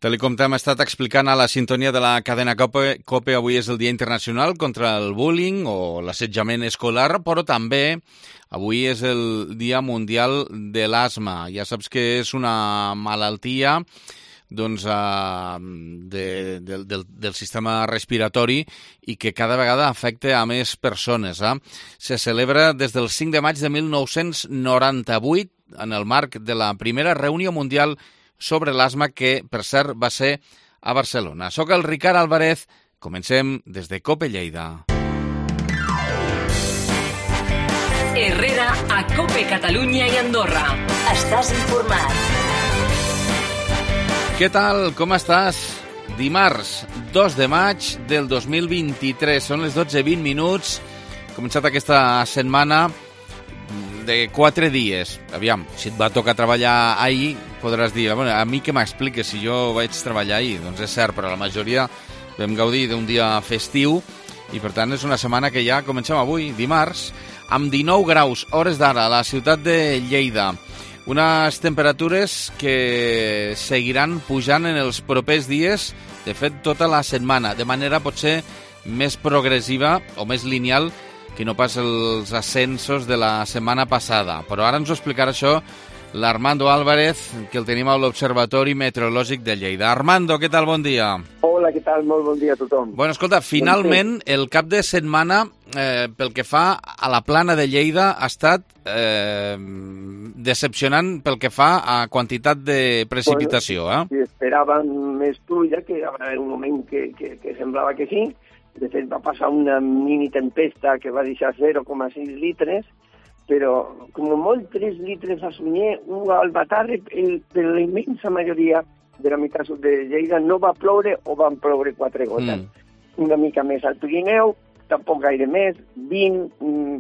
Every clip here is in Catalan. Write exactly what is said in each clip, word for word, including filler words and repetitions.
Tal com t'hem estat explicant a la sintonia de la cadena COPE, COPE avui és el Dia Internacional contra el Bullying o l'assetjament escolar, però també avui és el Dia Mundial de l'Asma. Ja saps que és una malaltia doncs, uh, de, de, del, del sistema respiratori i que cada vegada afecta a més persones. Eh? Se celebra des del cinc de maig de mil nou-cents noranta-vuit en el marc de la primera reunió mundial sobre l'asma que, per cert, va ser a Barcelona. Soc el Ricard Álvarez. Comencem des de COPE Lleida. Herrera a COPE Catalunya i Andorra. Estàs informat. Què tal? Com estàs? Dimarts, dos de maig del dos mil vint-i-tres. Són les dotze i vint minuts. He començat aquesta setmana de quatre dies. Aviam, si et va tocar treballar ahir, podràs dir, bueno, a mi que m'expliques si jo vaig treballar ahir. Doncs és cert, però la majoria vam gaudir d'un dia festiu i, per tant, és una setmana que ja comencem avui, dimarts, amb dinou graus, hores d'ara, a la ciutat de Lleida. Unes temperatures que seguiran pujant en els propers dies, de fet, tota la setmana, de manera potser més progressiva o més lineal que no pas els ascensos de la setmana passada. Però ara ens ho explicarà això l'Armando Álvarez, que el tenim a l'Observatori Meteorològic de Lleida. Armando, què tal? Bon dia. Hola, què tal? Molt bon dia a tothom. Bueno, escolta, finalment el cap de setmana, eh, pel que fa a la plana de Lleida, ha estat eh, decepcionant pel que fa a quantitat de precipitació. Eh? Bueno, si esperaven més pluja, que hi haurà un moment que, que, que semblava que sí. De fet, va passar una mini tempesta que va deixar zero coma sis litres, però com molt tres litres a sunyer, un al batarre, per la immensa majoria de la meitat sud de Lleida no va ploure o van ploure quatre gotes. Mm. Una mica més al Pirineu, tampoc gaire més, vint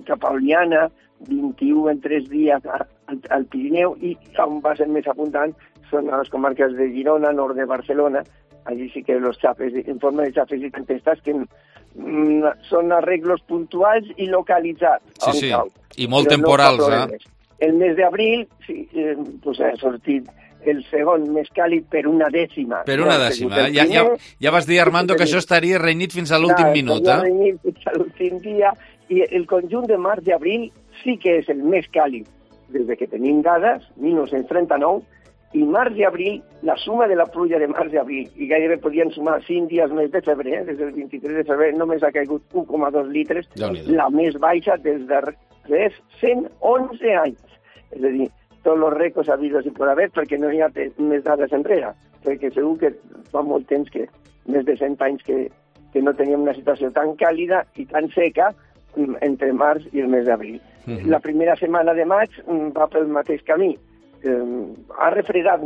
cap a Oliana, vint-i-u en tres dies al, al Pirineu, i on va ser més abundant són a les comarques de Girona, nord de Barcelona. Allí sí que los xafes, en forma de xafes i tempestes, que mm, són arreglos puntuals i localitzats. Sí, sí, cau. I molt però temporals, no eh? El mes d'abril sí, eh, pues ha sortit el segon més càlid per una dècima. Per una dècima, eh? Ja, ja, ja vas dir, Armando, que això estaria renyit fins a l'últim Clar, minut, eh? renyit fins a l'últim dia, i el conjunt de març i abril sí que és el més càlid des de que tenim dades, mil nou-cents trenta-nou, i març i abril, la suma de la pluja de març i abril, i gairebé podien sumar cinc dies més de febrer, eh? Des del vint-i-tres de febrer només ha caigut un coma dos litres, la més baixa des darrers cent onze anys. És a dir, tots els rècords habidos i por haver, perquè no hi ha més dades enrere, perquè segur que fa molt temps que, més de cent anys que, que no teníem una situació tan càlida i tan seca entre març i el mes d'abril. Mm-hmm. La primera setmana de maig va pel mateix camí. Eh, ha refredat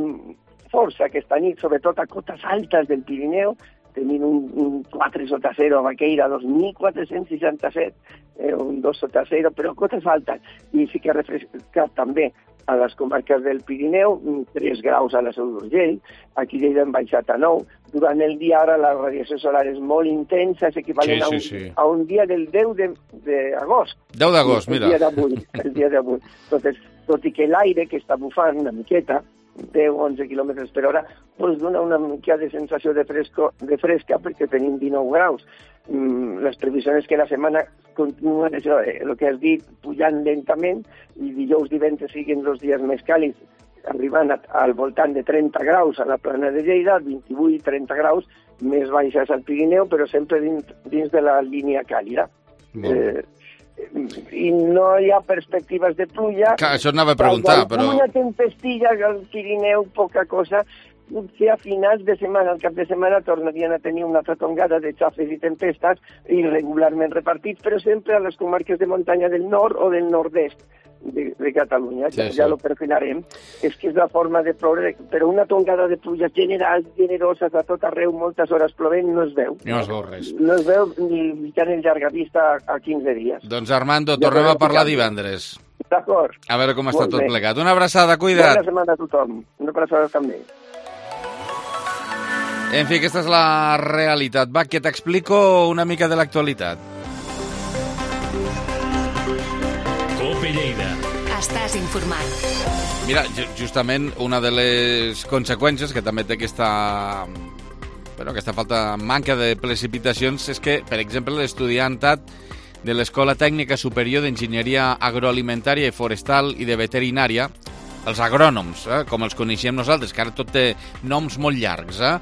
força aquesta nit, sobretot a cotes altes del Pirineu, tenint un, un quatre sota zero a Baqueira, dos mil quatre-cents seixanta-set, eh, un dos sota zero, però cotes altes. I sí que ha refrescat també a les comarques del Pirineu, tres graus a la Seu d'Urgell, aquí Lleida han baixat a nou. Durant el dia ara la radiació solar és molt intensa, és equivalent sí, sí, sí. A, un, a un dia del deu d'agost. deu d'agost, mira. El dia d'avui, el dia d'avui. Entonces, tot i que l'aire que està bufant una miqueta, deu a onze quilòmetres per hora, doncs dona una mica de sensació de, fresco, de fresca perquè tenim dinou graus. Mm, les previsions és que la setmana continuen això, eh, el que has dit, pujant lentament, i dijous divendres siguin els dies més càlids, arribant a, al voltant de trenta graus a la plana de Lleida, vint-i-vuit trenta graus, més baixes al Pirineu, però sempre dins, dins de la línia càlida. Eh, i no hi ha perspectives de pluja. Clar, això anava a preguntar, però... Una tempestilla al Pirineu, poca cosa, que a finals de setmana, al cap de setmana, tornarien a tenir una altra tongada de xafes i tempestes irregularment repartits, però sempre a les comarques de muntanya del nord o del nord-est de, de Catalunya, sí, ja, sí. ja lo perfilarem. És que és la forma de ploure, però una tongada de pluja general, generoses a tot arreu, moltes hores plovent, no es veu. No es veu res. No es veu ni tan en llarga vista a quinze dies. Doncs Armando, ja tornem a parlar divendres. D'acord. A veure com està tot plegat. Una abraçada, cuida't. Bona setmana a tothom. Una abraçada també. En fi, aquesta és la realitat. Va, que t'explico una mica de l'actualitat. COPE Lleida. Estàs informat. Mira, justament una de les conseqüències que també té aquesta, bueno, aquesta falta, manca de precipitacions és que, per exemple, l'estudiantat de l'Escola Tècnica Superior d'Enginyeria Agroalimentària i Forestal i de Veterinària, els agrònoms, eh, com els coneixem nosaltres, que ara tot té noms molt llargs, eh,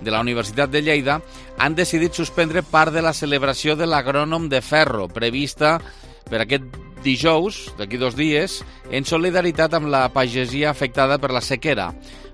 de la Universitat de Lleida, han decidit suspendre part de la celebració de l'Agrònom de Ferro, prevista per aquest dijous, d'aquí dos dies, en solidaritat amb la pagesia afectada per la sequera.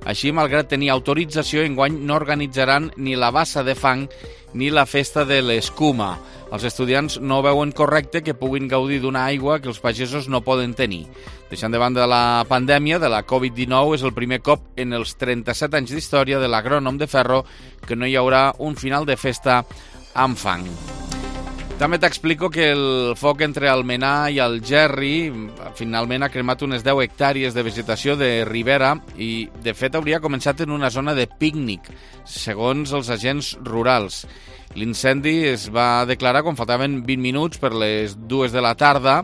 Així, malgrat tenir autorització, enguany no organitzaran ni la bassa de fang ni la festa de l'escuma. Els estudiants no veuen correcte que puguin gaudir d'una aigua que els pagesos no poden tenir. Deixant de banda la pandèmia de la covid dinou, és el primer cop en els trenta-set anys d'història de l'Agrònom de Ferro que no hi haurà un final de festa amb fang. També t'explico que el foc entre Almenar i Algerri finalment ha cremat unes deu hectàrees de vegetació de ribera i, de fet, hauria començat en una zona de pícnic, segons els agents rurals. L'incendi es va declarar quan faltaven vint minuts per les dues de la tarda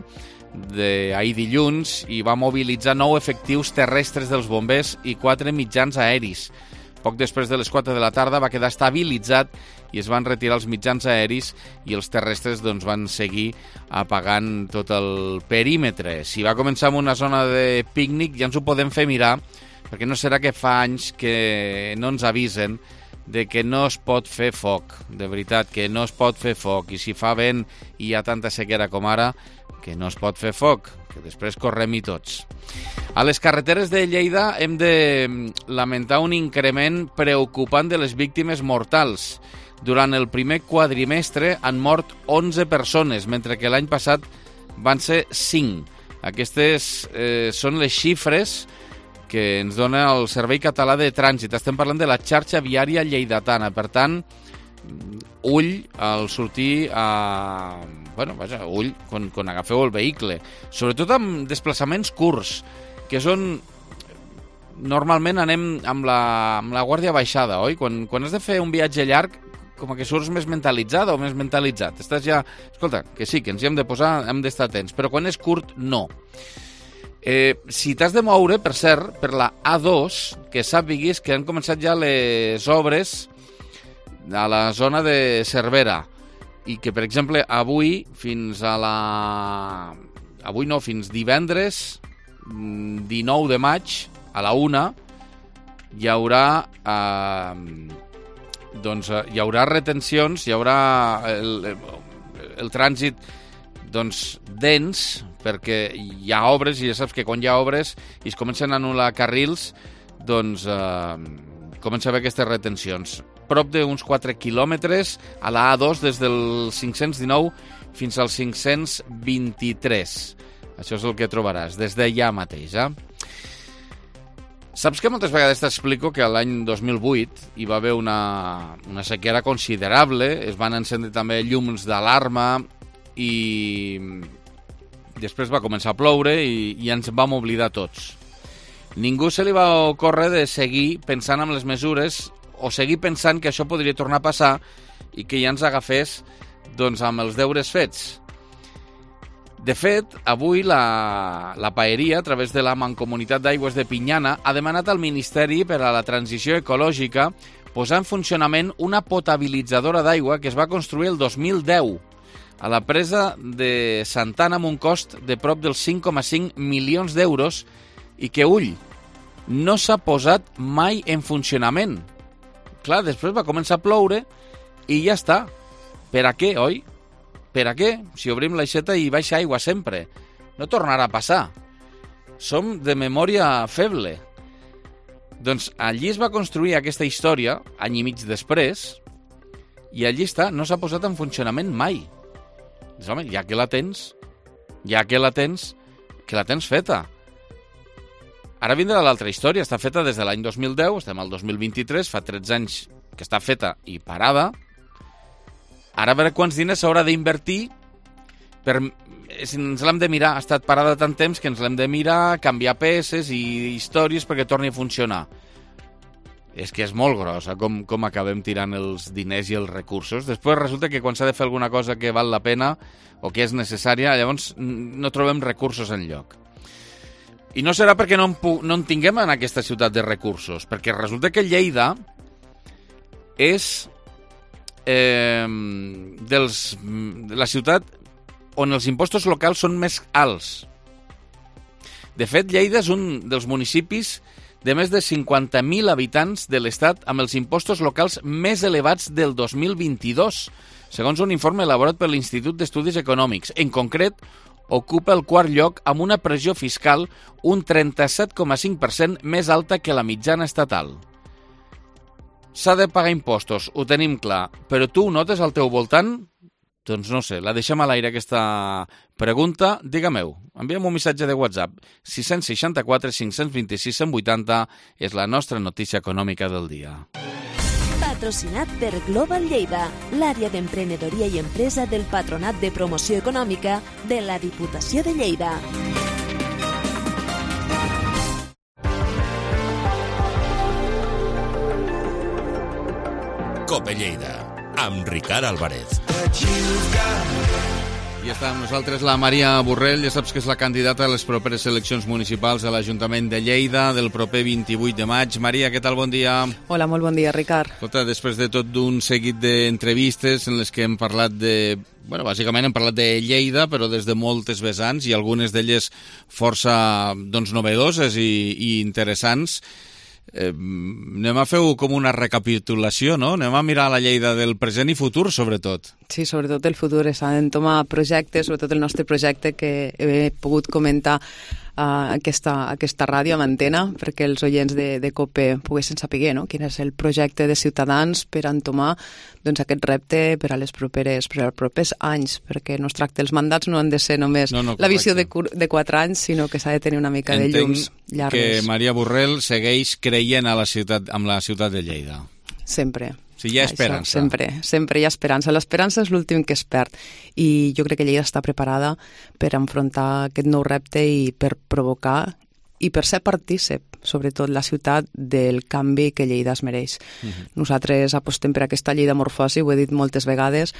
d'ahir dilluns i va mobilitzar nou efectius terrestres dels bombers i quatre mitjans aeris. Poc després de les quatre de la tarda va quedar estabilitzat i es van retirar els mitjans aeris i els terrestres doncs, van seguir apagant tot el perímetre. Si va començar amb una zona de pícnic ja ens ho podem fer mirar, perquè no serà que fa anys que no ens avisen de que no es pot fer foc, de veritat, que no es pot fer foc, i si fa vent i hi ha tanta sequera com ara, que no es pot fer foc, que després correm-hi tots. A les carreteres de Lleida hem de lamentar un increment preocupant de les víctimes mortals. Durant el primer quadrimestre han mort onze persones, mentre que l'any passat van ser cinc. Aquestes eh, són les xifres que ens dona el Servei Català de Trànsit. Estem parlant de la xarxa viària lleidatana. Per tant, ull al sortir a... Bueno, vaja, ull quan, quan agafeu el vehicle. Sobretot amb desplaçaments curts, que són... Normalment anem amb la, amb la guàrdia baixada, oi? Quan, quan has de fer un viatge llarg, com que surts més mentalitzada o més mentalitzat. Estàs ja... Escolta, que sí, que ens hi hem de posar, hem d'estar atents, però quan és curt, no. Eh, si t'has de moure, per cert, per la A dos, que sàpiguis que han començat ja les obres a la zona de Cervera i que, per exemple, avui fins a la... Avui no, fins divendres dinou de maig a la una hi haurà... Eh, doncs hi haurà retencions, hi haurà el, el, el trànsit doncs, dens, perquè hi ha obres i ja saps que quan hi ha obres i es comencen a anul·lar carrils, doncs eh, comença a haver aquestes retencions. Prop d'uns quatre quilòmetres a la A dos des del cinc-cents dinou fins al cinc-cents vint-i-tres. Això és el que trobaràs des d'allà mateix, eh? Saps que moltes vegades t'explico que l'any dos mil vuit hi va haver una, una sequera considerable, es van encendre també llums d'alarma i després va començar a ploure i, i ens vam oblidar tots. Ningú se li va ocórrer de seguir pensant en les mesures o seguir pensant que això podria tornar a passar i que ja ens agafés doncs, amb els deures fets. De fet, avui la, la Paeria, a través de la Mancomunitat d'Aigües de Pinyana, ha demanat al Ministeri per a la Transició Ecològica posar en funcionament una potabilitzadora d'aigua que es va construir el dos mil deu a la presa de Santana amb un cost de prop dels cinc coma cinc milions d'euros i que, ull, no s'ha posat mai en funcionament. Clar, després va començar a ploure i ja està. Per a què, oi? Per a què? Si obrim l'aixeta i baixa aigua sempre. No tornarà a passar. Som de memòria feble. Doncs allí es va construir aquesta història, any i mig després, i allí està, no s'ha posat en funcionament mai. Doncs, home, ja que la tens, ja que la tens, que la tens feta. Ara vindrà l'altra història, està feta des de l'any dos mil deu, estem al dos mil vint-i-tres, fa tretze anys que està feta i parada. Ara a veure quants diners s'haurà d'invertir per... Si ens l'hem de mirar, ha estat parada tant temps que ens l'hem de mirar, canviar peces i històries perquè torni a funcionar. És que és molt grossa com, com acabem tirant els diners i els recursos. Després resulta que quan s'ha de fer alguna cosa que val la pena o que és necessària, llavors no trobem recursos enlloc. I no serà perquè no en, pu- no en tinguem en aquesta ciutat de recursos, perquè resulta que Lleida és eh, dels, de la ciutat on els impostos locals són més alts. De fet, Lleida és un dels municipis de més de cinquanta mil habitants de l'Estat amb els impostos locals més elevats del dos mil vint-i-dos, segons un informe elaborat per l'Institut d'Estudis Econòmics. En concret, ocupa el quart lloc amb una pressió fiscal un trenta-set coma cinc per cent més alta que la mitjana estatal. S'ha de pagar impostos, ho tenim clar, però tu ho notes al teu voltant? Doncs no sé, la deixem a l'aire aquesta pregunta. Digue-m'ho, envia'm un missatge de WhatsApp. sis sis quatre, cinc dos sis, cent vuitanta és la nostra notícia econòmica del dia. Patrocinat per Global Lleida, l'àrea d'emprenedoria i empresa del Patronat de Promoció Econòmica de la Diputació de Lleida. Cope Lleida, amb Ricard Álvarez. I està amb nosaltres la Maria Borrell, ja saps que és la candidata a les properes eleccions municipals a l'Ajuntament de Lleida del proper vint-i-vuit de maig. Maria, què tal? Bon dia. Hola, molt bon dia, Ricard. Escolta, després de tot d'un seguit d'entrevistes en les que hem parlat de... Bueno, bàsicament hem parlat de Lleida, però des de moltes vessants i algunes d'elles força doncs, novedoses i, i interessants. Eh, anem a fer com una recapitulació, no? Anem a mirar la Lleida del present i futur, sobretot. Sí, sobretot el futur. S'han d'entomar projectes, sobretot el nostre projecte que he pogut comentar a aquesta, aquesta ràdio amb antena, perquè els oients de, de COPE poguessin saber, no?, quin és el projecte de Ciutadans per entomar doncs, aquest repte per a les properes, per als propers anys, perquè no es tracta, els mandats no han de ser només no, no, la visió de, de quatre anys, sinó que s'ha de tenir una mica Entenc de llums llargues. Que Maria Borrell segueix creient a la ciutat, amb la ciutat de Lleida. Sempre. Sí, hi ha esperança. Això, sempre, sempre hi ha esperança. L'esperança és l'últim que es perd i jo crec que Lleida està preparada per enfrontar aquest nou repte i per provocar i per ser partícip, sobretot la ciutat, del canvi que Lleida es mereix. Uh-huh. Nosaltres apostem per aquesta Lleida morfosi, ho he dit moltes vegades,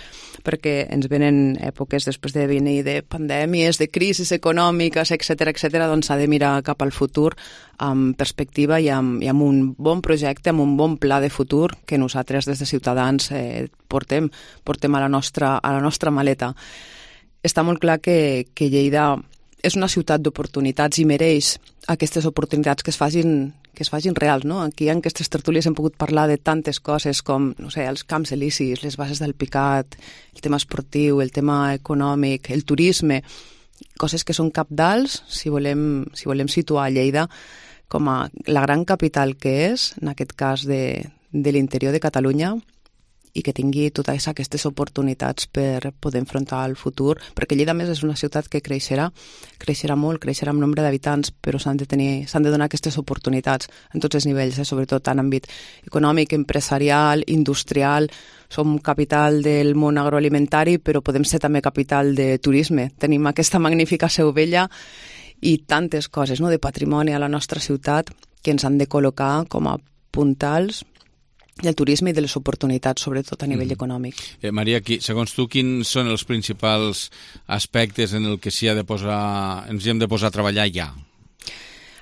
perquè ens venen èpoques després de venir de pandèmies, de crisis econòmiques, etcètera, etcètera, doncs s'ha de mirar cap al futur amb perspectiva i amb, i amb un bon projecte, amb un bon pla de futur que nosaltres des de Ciutadans eh, portem, portem a la nostra, a la nostra maleta. Està molt clar que, que Lleida és una ciutat d'oportunitats i mereix aquestes oportunitats que es facin, que es facin reals, no? Aquí en aquestes tertúlies hem pogut parlar de tantes coses com, no sé, els camps elisis, les bases del Picat, el tema esportiu, el tema econòmic, el turisme, coses que són cabdals si volem, si volem situar Lleida com a la gran capital que és, en aquest cas de, de l'interior de Catalunya, i que tingui totes aquestes oportunitats per poder enfrontar el futur, perquè Lleida, a més, és una ciutat que creixerà, creixerà molt, creixerà en nombre d'habitants, però s'han de tenir, s'han de donar aquestes oportunitats en tots els nivells, eh? Sobretot en àmbit econòmic, empresarial, industrial. Som capital del món agroalimentari, però podem ser també capital de turisme. Tenim aquesta magnífica Seu Vella i tantes coses, no?, de patrimoni a la nostra ciutat que ens han de col·locar com a puntals del turisme i de les oportunitats, sobretot a nivell mm. econòmic. Eh, Maria, qui, segons tu, quins són els principals aspectes en el que s'hi ha de posar, ens hi hem de posar a treballar ja?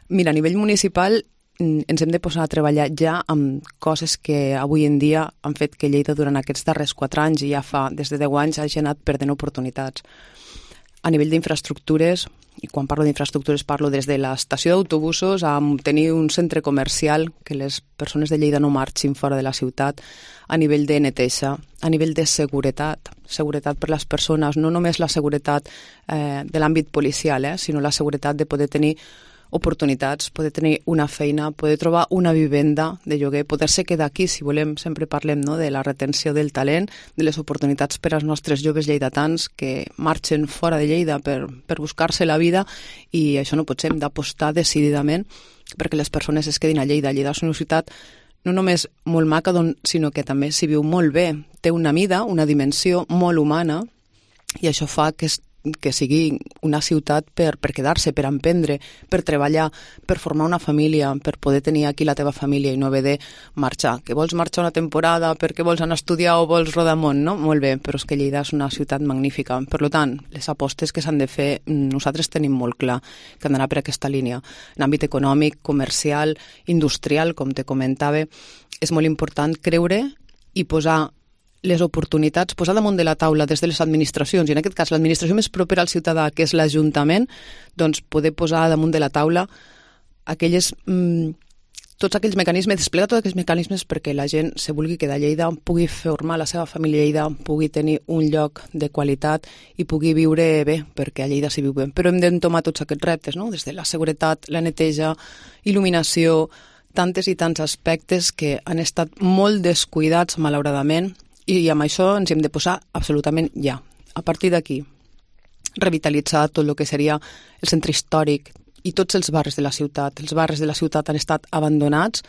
Mira, a nivell municipal ens hem de posar a treballar ja amb coses que avui en dia han fet que Lleida durant aquests darrers quatre anys i ja fa des de deu anys hagi anat perdent oportunitats. A nivell d'infraestructures, i quan parlo d'infraestructures parlo des de l'estació d'autobusos a tenir un centre comercial que les persones de Lleida no marxin fora de la ciutat, a nivell de neteja, a nivell de seguretat, seguretat per les persones, no només la seguretat eh, de l'àmbit policial, eh, sinó la seguretat de poder tenir oportunitats, poder tenir una feina, poder trobar una vivenda de lloguer, poder-se quedar aquí, si volem, sempre parlem, no?, de la retenció del talent, de les oportunitats per als nostres joves lleidatans que marxen fora de Lleida per, per buscar-se la vida, i això no pot ser, hem d'apostar decididament perquè les persones es quedin a Lleida. Lleida és una ciutat no només molt maca, sinó que també s'hi viu molt bé, té una mida, una dimensió molt humana, i això fa que es que sigui una ciutat per, per quedar-se, per emprendre, per treballar, per formar una família, per poder tenir aquí la teva família i no haver de marxar. Que vols marxar una temporada perquè vols anar a estudiar o vols rodar món, no? Molt bé, però és que Lleida és una ciutat magnífica. Per tant, les apostes que s'han de fer, nosaltres tenim molt clar que han d'anar per aquesta línia. En àmbit econòmic, comercial, industrial, com te comentava, és molt important creure i posar les oportunitats, posar damunt de la taula des de les administracions, i en aquest cas l'administració més propera al ciutadà, que és l'Ajuntament, doncs poder posar damunt de la taula aquelles, mmm, tots aquells mecanismes, desplegar tots aquells mecanismes perquè la gent se vulgui quedar a Lleida, pugui formar la seva família a Lleida, pugui tenir un lloc de qualitat i pugui viure bé, perquè a Lleida s'hi viu bé. Però hem d'entomar tots aquests reptes, no? Des de la seguretat, la neteja, il·luminació, tantes i tants aspectes que han estat molt descuidats, malauradament, i amb això ens hem de posar absolutament ja. A partir d'aquí, revitalitzar tot el que seria el centre històric i tots els barris de la ciutat. Els barris de la ciutat han estat abandonats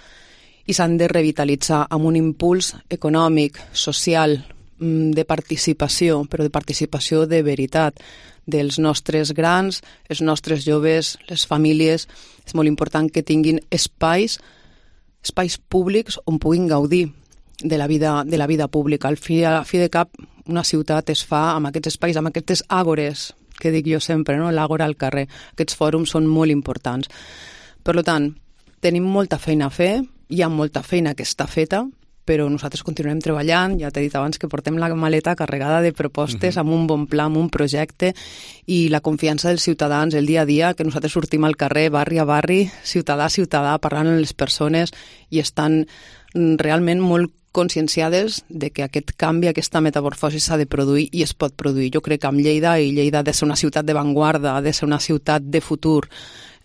i s'han de revitalitzar amb un impuls econòmic, social, de participació, però de participació de veritat, dels nostres grans, els nostres joves, les famílies. És molt important que tinguin espais, espais públics on puguin gaudir de la vida, de la vida pública. Al fi, a fi de cap, una ciutat es fa amb aquests espais, amb aquestes àgores, que dic jo sempre, no? L'àgora al carrer. Aquests fòrums són molt importants. Per tant, tenim molta feina a fer, hi ha molta feina que està feta, però nosaltres continuem treballant. Ja t'he dit abans que portem la maleta carregada de propostes, uh-huh. amb un bon pla, amb un projecte, i la confiança dels ciutadans, el dia a dia, que nosaltres sortim al carrer, barri a barri, ciutadà a ciutadà, parlant amb les persones, i estan realment molt conscienciades de que aquest canvi, aquesta metamorfosi s'ha de produir i es pot produir. Jo crec que amb Lleida, i Lleida ha de ser una ciutat d'avantguarda, ha de ser una ciutat de futur.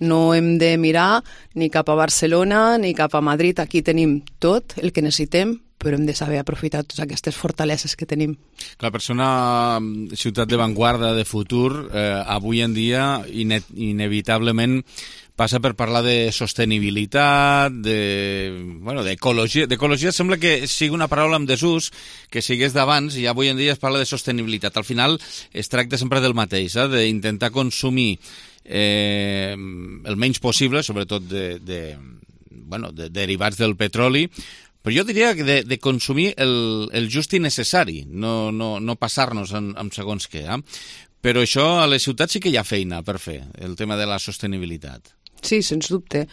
No hem de mirar ni cap a Barcelona ni cap a Madrid. Aquí tenim tot el que necessitem, però hem de saber aprofitar totes aquestes fortaleses que tenim. Clar, per ser una ciutat d'avantguarda, de futur, eh, avui en dia ine inevitablement passa per parlar de sostenibilitat, de, bueno, d'ecologia. D'ecologia sembla que sigui una paraula en desús, que sigués d'abans, i avui en dia es parla de sostenibilitat. Al final es tracta sempre del mateix, eh? D'intentar consumir eh, el menys possible, sobretot de, de, bueno, de derivats del petroli, però jo diria que de, de consumir el, el just i necessari, no, no, no passar-nos en, en segons què. Eh? Però això a les ciutats sí que hi ha feina per fer, el tema de la sostenibilitat. Sí, sens dubte.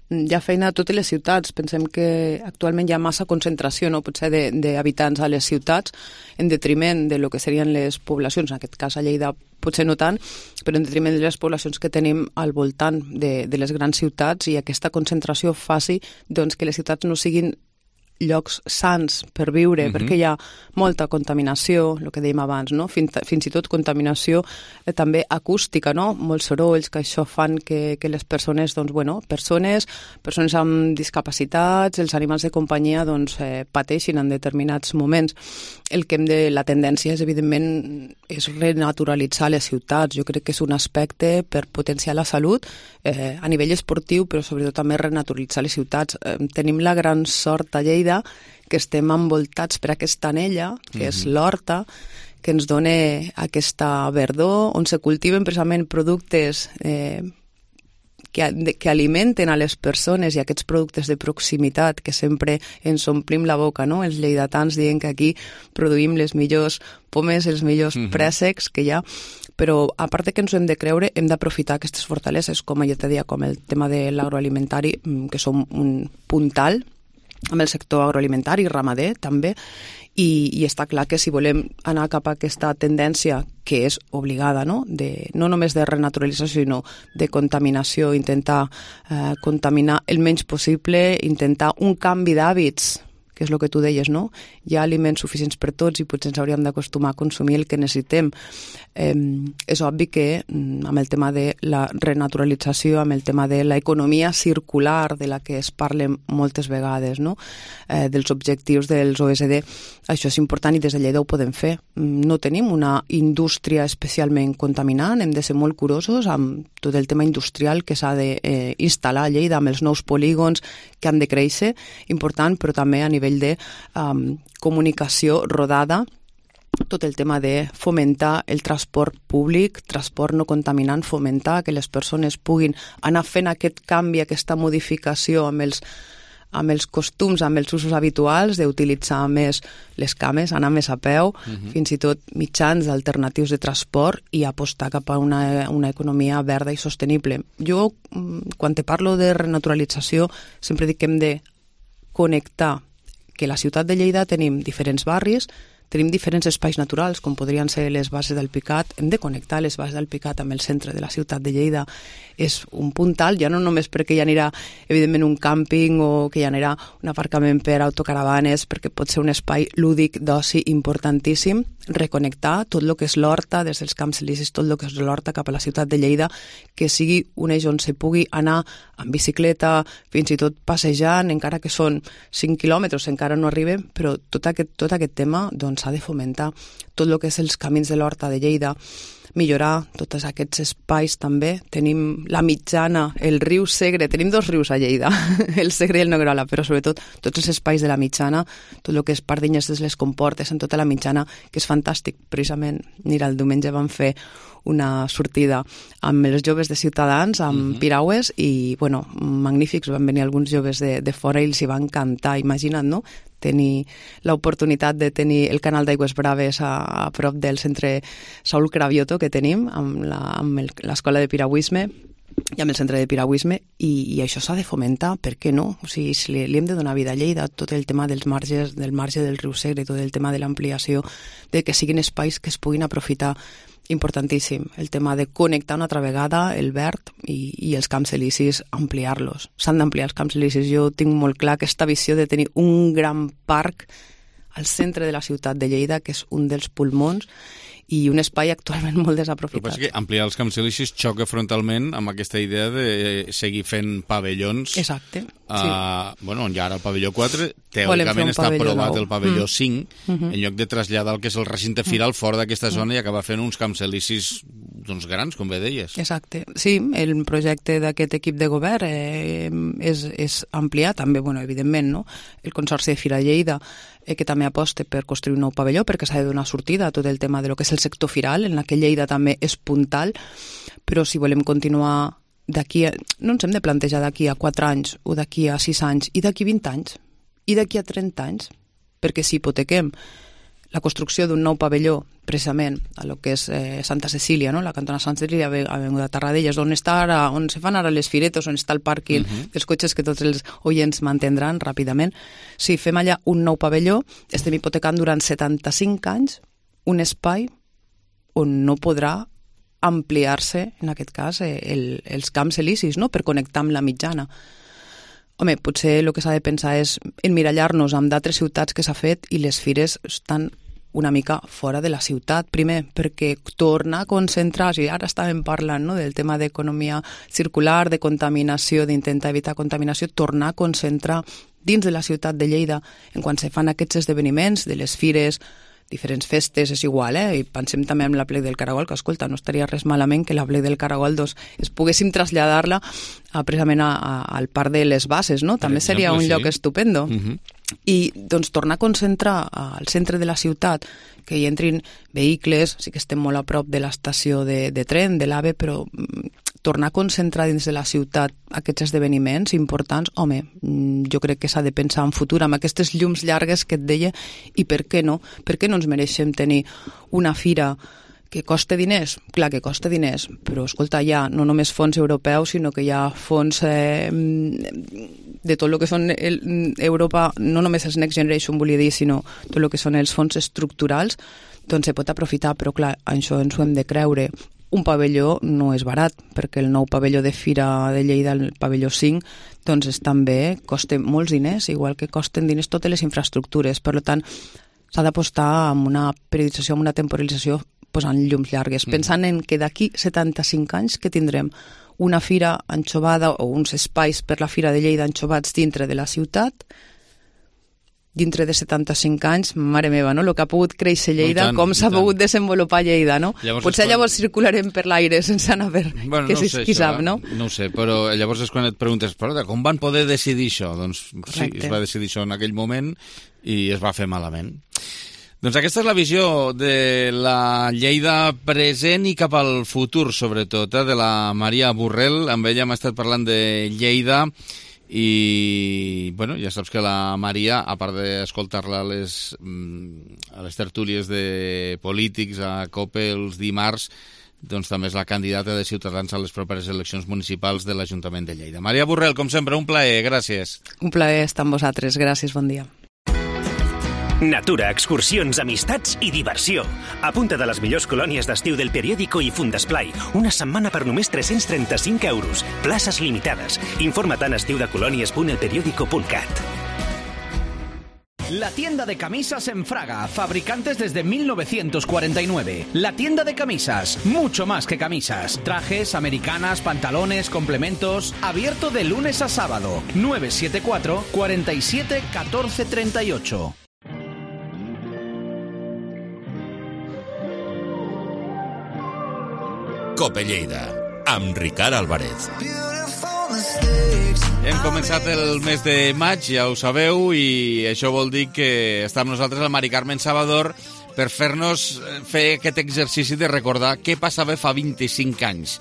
Hi ha feina a totes les ciutats. Pensem que actualment hi ha massa concentració, no? Potser d'habitants a les ciutats en detriment de lo que serien les poblacions, en aquest cas a Lleida potser no tant, però en detriment de les poblacions que tenim al voltant de, de les grans ciutats, i aquesta concentració faci doncs, que les ciutats no siguin llocs sants per viure, uh-huh. perquè hi ha molta contaminació, el que dèiem abans, no? Fins, fins i tot contaminació eh, també acústica, no? Molts sorolls, que això fan que, que les persones, doncs, bueno, persones, persones amb discapacitats, els animals de companyia, doncs, eh, pateixin en determinats moments. El que hem de, la tendència és, evidentment, és renaturalitzar les ciutats. Jo crec que és un aspecte per potenciar la salut eh, a nivell esportiu, però sobretot també renaturalitzar les ciutats. Eh, tenim la gran sort a Lleida que estem envoltats per aquesta anella, que mm-hmm. és l'horta, que ens dona aquesta verdor, on se cultiven precisament productes eh, que, que alimenten a les persones, i aquests productes de proximitat que sempre ens omplim la boca, no? Els lleidatans dient que aquí produïm les millors pomes, els millors mm-hmm. préssecs que hi ha, però a part que ens ho hem de creure, hem d'aprofitar aquestes fortaleses, com ja te deia, com el tema de l'agroalimentari, que som un puntal amb el sector agroalimentari i ramader també, i, i està clar que si volem anar cap a aquesta tendència que és obligada, no? De, no només de renaturalització, sinó de contaminació, intentar eh, contaminar el menys possible, intentar un canvi d'hàbits, que és el que tu deies, no? Hi ha aliments suficients per tots i potser ens hauríem d'acostumar a consumir el que necessitem. Eh, és obvi que amb el tema de la renaturalització, amb el tema de l'economia circular, de la que es parla moltes vegades, no? Eh, dels objectius dels O S D, això és important i des de Lleida ho podem fer. No tenim una indústria especialment contaminant, hem de ser molt curosos amb tot el tema industrial que s'ha d'instal·lar a Lleida, amb els nous polígons que han de créixer, important, però també a nivell de um, comunicació rodada tot el tema de fomentar el transport públic, transport no contaminant, fomentar que les persones puguin anar fent aquest canvi, aquesta modificació amb els, amb els costums, amb els usos habituals, d'utilitzar més les cames, anar més a peu, uh-huh. fins i tot mitjans alternatius de transport i apostar cap a una, una economia verda i sostenible. Jo, quan te parlo de renaturalització, sempre dic que hem de connectar, que a la ciutat de Lleida tenim diferents barris, tenim diferents espais naturals, com podrien ser les bases del Picat. Hem de connectar les bases del Picat amb el centre de la ciutat de Lleida. És un punt alt, ja no només perquè hi anirà, evidentment, un càmping o que hi anirà un aparcament per autocaravanes, perquè pot ser un espai lúdic d'oci importantíssim. Reconnectar tot el que és l'horta, des dels Camps Elisis, tot el que és l'horta cap a la ciutat de Lleida, que sigui un eix on se pugui anar en bicicleta, fins i tot passejant, encara que són cinc quilòmetres, encara no arriben, però tot aquest, tot aquest tema doncs, s'ha de fomentar. Tot el que és els camins de l'horta de Lleida, millorar tots aquests espais també. Tenim la Mitjana, el riu Segre, tenim dos rius a Lleida, el Segre i el Noguerola, però sobretot tots els espais de la Mitjana, tot el que és Pardinyes de les Comportes, en tota la Mitjana, que és fantàstic. Precisament, mira, el diumenge vam fer una sortida amb els joves de Ciutadans, amb uh-huh. piragües, i, bueno, magnífics, van venir alguns joves de, de fora i els hi va encantar. Imagina't, no?, tenir l'oportunitat de tenir el canal d'Aigües Braves a, a prop del centre Saúl Cravioto que tenim, amb l'escola de piragüisme i amb el centre de piragüisme, i, i això s'ha de fomentar, per què no? O sigui, si li, li hem de donar vida a Lleida, tot el tema dels marges, del marge del riu Segre, tot el tema de l'ampliació, de que siguin espais que es puguin aprofitar, importantíssim. El tema de connectar una altra vegada el verd i, i els Camps Elisis, ampliar-los. S'han d'ampliar els Camps Elisis. Jo tinc molt clar aquesta visió de tenir un gran parc al centre de la ciutat de Lleida, que és un dels pulmons, i un espai actualment molt desaprofitat. El que passa és que ampliar els Camps Elisis xoca frontalment amb aquesta idea de seguir fent pavellons. Exacte. Uh, sí. Bueno, ja ara el pavelló quatre, teòricament està aprovat el pavelló mm. cinc, mm-hmm. en lloc de traslladar el que és el recinte firal fora d'aquesta mm. zona i acabar fent uns Camps Elisis doncs, grans, com bé deies. Exacte. Sí, el projecte d'aquest equip de govern eh, és, és ampliar també, bueno, evidentment, no? El Consorci de Fira Lleida, eh, que també aposta per construir un nou pavelló, perquè s'ha de donar sortida a tot el tema de lo que és el sector firal, en la que Lleida també és puntal, però si volem continuar d'aquí, a, no ens hem de plantejar d'aquí a quatre anys, o d'aquí a sis anys, i d'aquí vint anys, i d'aquí a trenta anys, perquè si hipotequem la construcció d'un nou pavelló, precisament a lo que és eh, Santa Cecília, no? La cantona Santa Cecília, a Tarradellas, on està ara, on se fan ara les firetes, on està el pàrquing uh-huh. dels cotxes que tots els oients mantindran ràpidament. Si fem allà un nou pavelló, estem hipotecant durant setanta-cinc anys un espai on no podrà ampliar-se, en aquest cas, el, els Camps Elisis, no?, per connectar amb la Mitjana. Home, potser el que s'ha de pensar és emmirallar-nos amb d'altres ciutats que s'ha fet i les fires estan una mica fora de la ciutat, primer, perquè tornar a concentrar, i ara estàvem parlant, no?, del tema d'economia circular, de contaminació, d'intentar evitar contaminació, tornar a concentrar dins de la ciutat de Lleida, en quan se fan aquests esdeveniments, de les fires, diferents festes, és igual, eh? I pensem també en la Plec del Caragol, que, escolta, no estaria res malament que la Plec del Caragol doncs, es poguéssim traslladar-la a, precisament a, a, al Parc de les Bases, no? També exemple, seria un sí. lloc estupendo. Uh-huh. I, doncs, tornar a concentrar al centre de la ciutat, que hi entrin vehicles, sí que estem molt a prop de l'estació de, de tren, de l'AVE, però tornar a concentrar dins de la ciutat aquests esdeveniments importants, home, jo crec que s'ha de pensar en futur, amb aquestes llums llargues que et deia, i per què no? Per què no ens mereixem tenir una fira que costa diners? Clar que costa diners, però escolta, hi ha no només fons europeus, sinó que hi ha fons eh, de tot el que són el, Europa, no només els Next Generation, volia dir, sinó tot el que són els fons estructurals, doncs se pot aprofitar, però clar, això ens ho hem de creure. Un pavelló no és barat, perquè el nou pavelló de Fira de Lleida, el pavelló cinc, doncs és també, costa molts diners, igual que costen diners totes les infraestructures. Per tant, s'ha d'apostar amb una periodització, amb una temporalització, posant llums llargues, mm. pensant en que d'aquí setanta-cinc anys que tindrem una fira anxovada o uns espais per la Fira de Lleida anxovats dintre de la ciutat, dintre de setanta-cinc anys, mare meva, no? El que ha pogut créixer Lleida, tant, com s'ha pogut desenvolupar Lleida, no? Llavors Potser quan... llavors circularem per l'aire sense anar a veure, bueno, que no si, sé, qui sap, no? No ho sé, però llavors és quan et preguntes, però com van poder decidir això? Doncs Correcte. Sí, es va decidir això en aquell moment i es va fer malament. Doncs aquesta és la visió de la Lleida present i cap al futur, sobretot, eh, de la Maria Burrell. Amb ella hem estat parlant de Lleida i, bueno, ja saps que la Maria, a part d'escoltar-la a les, a les tertúlies de polítics a COPE els dimarts, doncs també és la candidata de Ciutadans a les properes eleccions municipals de l'Ajuntament de Lleida. Maria Burrell, com sempre, un plaer, gràcies. Un plaer estar amb vosaltres, gràcies, bon dia. Natura, excursions, amistats i diversió. Apunta de les millors colònies d'estiu del Periódico i Fundesplai. Una setmana per només tres-cents trenta-cinc euros. Places limitades. Informa't en estiudecolònies punt elperiódico punt cat. La tienda de camisas en Fraga, fabricantes desde mil novecientos cuarenta y nueve. La tienda de camisas, mucho más que camisas. Trajes, americanas, pantalones, complementos. Abierto de lunes a sábado. nueve siete cuatro, cuarenta y siete, catorce treinta y ocho. Cope Lleida, amb Ricard Álvarez. Hem començat el mes de maig, ja ho sabeu, i això vol dir que està amb nosaltres el Mari Carmen Salvador per fer-nos fer aquest exercici de recordar què passava fa vint-i-cinc anys.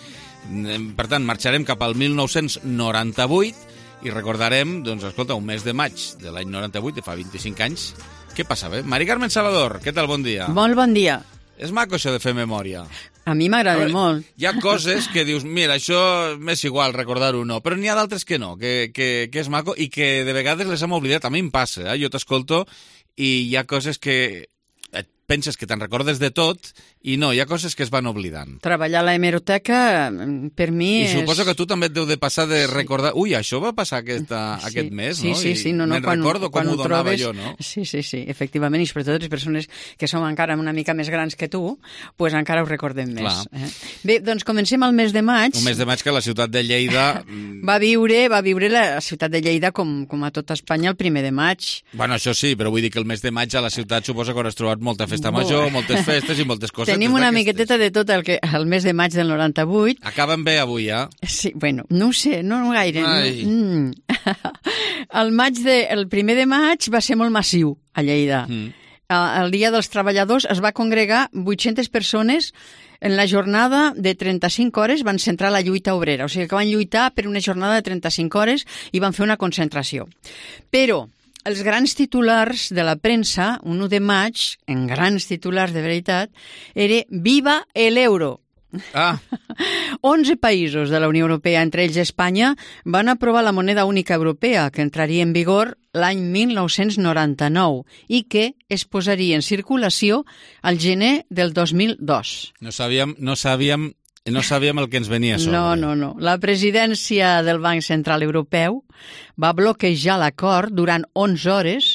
Per tant, marxarem cap al mil nou-cents noranta-vuit i recordarem, doncs, escolta, un mes de maig de l'any noranta-vuit, de fa vint-i-cinc anys, què passava? Mari Carmen Salvador, què tal? Bon dia. Molt bon dia. És maco això de fer memòria. A mi m'agrada molt. Hi ha coses que dius, mira, això m'és igual recordar-ho o no, però n'hi ha d'altres que no, que, que, que és maco i que de vegades les hem oblidat. A mi em passa, eh? Jo t'escolto i hi ha coses que et penses que te'n recordes de tot i no, hi ha coses que es van oblidant. Treballar a la hemeroteca, per mi I és... suposo que tu també et deu de passar de recordar... Ui, això va passar aquesta, sí, aquest mes, sí, no? Sí, sí, no, no. Me'n Quan, recordo quan com ho donava trobes... jo, no? Sí, sí, sí, efectivament, i sobretot les persones que som encara una mica més grans que tu, pues encara ho recordem més. Eh? Bé, doncs comencem al mes de maig. Un mes de maig que la ciutat de Lleida... va viure, va viure la ciutat de Lleida com, com a tot Espanya el primer de maig. Bueno, això sí, però vull dir que el mes de maig a la ciutat suposa que hauràs trobat molta festa major, moltes festes i moltes coses. Tenim una miqueteta de tot el que el mes de maig del noranta-vuit. Acaben bé avui, eh? Sí, bueno, no ho sé, no, no gaire. Ai. Mm. el, maig de, el primer de maig va ser molt massiu a Lleida. Mm. El Dia dels Treballadors es va congregar vuit-centes persones en la jornada de trenta-cinc hores, van centrar la lluita obrera. O sigui que van lluitar per una jornada de trenta-cinc hores i van fer una concentració. Però els grans titulars de la premsa, un u de maig, en grans titulars de veritat, era «Viva el euro». Ah. onze països de la Unió Europea, entre ells Espanya, van aprovar la moneda única europea, que entraria en vigor l'any mil nou-cents noranta-nou i que es posaria en circulació al gener del dos mil dos. No sabíem, no sabíem, no sabíem el que ens venia a sobre. No, no, no. La presidència del Banc Central Europeu va bloquejar l'acord durant onze hores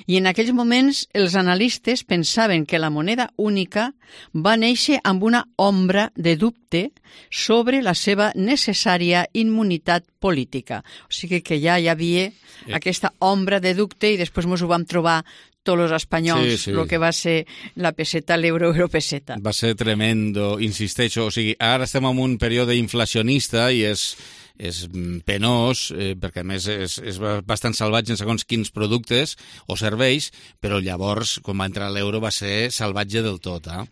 i en aquells moments els analistes pensaven que la moneda única va néixer amb una ombra de dubte sobre la seva necessària immunitat política. O sigui que ja hi havia eh. aquesta ombra de dubte i després ens ho vam trobar tots els espanyols, sí, sí. el que va ser la peseta, l'euro, europeseta. Va ser tremendo, insisteixo. O sigui, ara estem en un període inflacionista i és... és penós, eh, perquè a més és, és bastant salvatge en segons quins productes o serveis, però llavors, quan va entrar l'euro, va ser salvatge del tot, eh?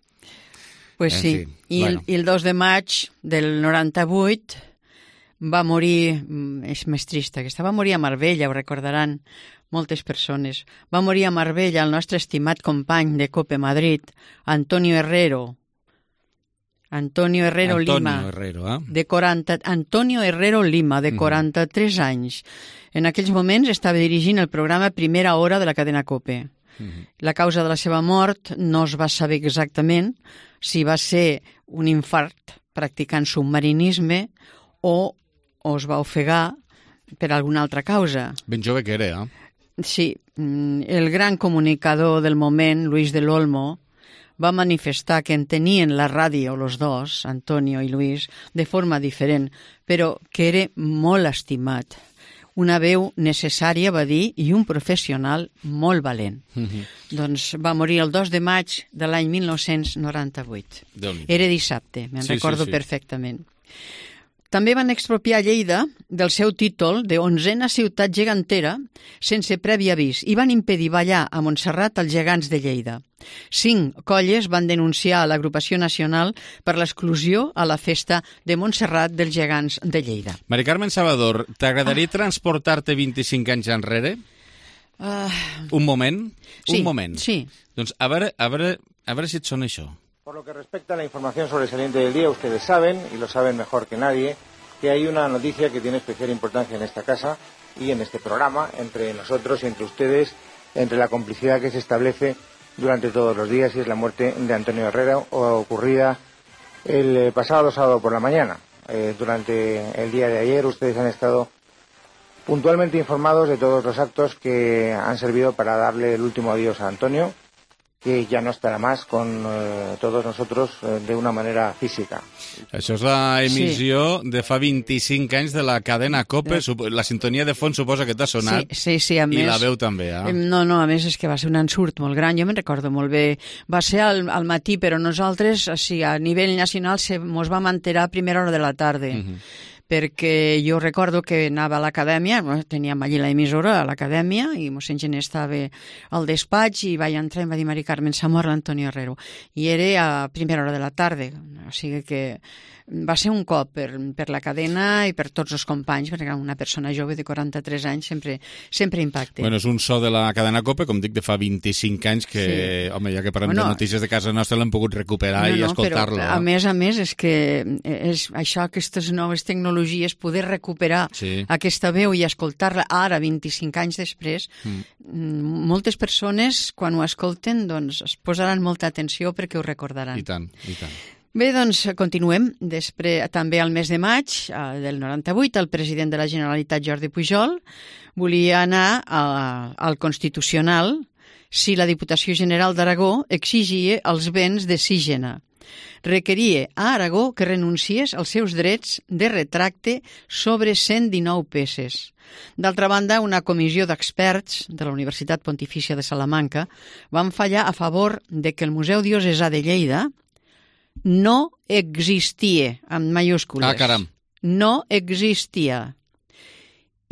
Pues en sí, fi, I, bueno. el, i el dos de maig del noranta-vuit va morir, és més trista, que estava a morir a Marbella, ho recordaran moltes persones. Va morir a Marbella el nostre estimat company de Cope Madrid, Antonio Herrero, Antonio Herrero Antonio Lima, Herrero, eh? de quaranta, Antonio Herrero Lima, de quaranta-tres uh-huh. anys. En aquells moments estava dirigint el programa Primera Hora de la cadena COPE. Uh-huh. La causa de la seva mort no es va saber exactament si va ser un infart practicant submarinisme o, o es va ofegar per alguna altra causa. Ben jove que era, eh? Sí, el gran comunicador del moment, Luis del Olmo, va manifestar que entenien la ràdio, los dos, Antonio i Luis, de forma diferent, però que era molt estimat. Una veu necessària, va dir, i un professional molt valent. Mm-hmm. Doncs va morir el dos de maig de l'any mil nou-cents noranta-vuit. Era dissabte, me'n sí, recordo sí, sí. perfectament. També van expropiar Lleida del seu títol de onzena ciutat gegantera sense previ avís i van impedir ballar a Montserrat als gegants de Lleida. Cinc colles van denunciar a l'agrupació nacional per l'exclusió a la festa de Montserrat dels Gegants de Lleida. Mari Carmen Salvador, t'agradaria ah. transportar-te vint-i-cinc anys enrere? Uh... Un moment? Sí, Un moment. Sí. Doncs a veure, a veure, a veure si et sona això. Por lo que respecta a la información sobresaliente del día, ustedes saben, y lo saben mejor que nadie, que hay una noticia que tiene especial importancia en esta casa y en este programa, entre nosotros y entre ustedes, entre la complicidad que se establece durante todos los días, y es la muerte de Antonio Herrera, ocurrida el pasado sábado por la mañana. Eh, durante el día de ayer ustedes han estado puntualmente informados de todos los actos que han servido para darle el último adiós a Antonio, que ja no estarà més con eh, tots nosaltres eh, de una manera física. Això és la emissió sí. de fa vint-i-cinc anys de la cadena COPE. La sintonia de fons suposa que t'ha sonat. Sí, sí, sí, a més... I la veu també, eh? No, no, a més és que va ser un ensurt molt gran, jo me'n recordo molt bé. Va ser al, al matí, però nosaltres, o sigui, a nivell nacional, se mos vam enterar a primera hora de la tarda. Uh-huh. Perquè jo recordo que anava a l'acadèmia, teníem allí l'emissora a l'acadèmia, i mossèn Gené estava al despatx i vaig entrar i em va dir Mari Carmen, s'ha mort l'Antonio Herrero. I era a primera hora de la tarda, o sigui que va ser un cop per, per la cadena i per tots els companys, perquè una persona jove de quaranta-tres anys sempre, sempre impacta. Bueno, és un so de la cadena COPE, com dic, de fa vint-i-cinc anys que, sí. home, ja que parlem bueno, de notícies de casa nostra l'hem pogut recuperar no, i no, escoltar-lo. Però, a més a més, és que és això, aquestes noves tecnologies, poder recuperar sí. aquesta veu i escoltar-la ara, vint-i-cinc anys després, mm. moltes persones, quan ho escolten, doncs es posaran molta atenció perquè ho recordaran. I tant, i tant. Bé, doncs continuem. Després, també al mes de maig eh, del noranta-vuit, el president de la Generalitat, Jordi Pujol, volia anar a, al Constitucional si la Diputació General d'Aragó exigia els béns de Sígena. Requeria a Aragó que renunciés als seus drets de retracte sobre cent dinou peces. D'altra banda, una comissió d'experts de la Universitat Pontifícia de Salamanca van fallar a favor de que el Museu Diocesà de Lleida no existia, amb mayúscules. Ah, caram. No existia.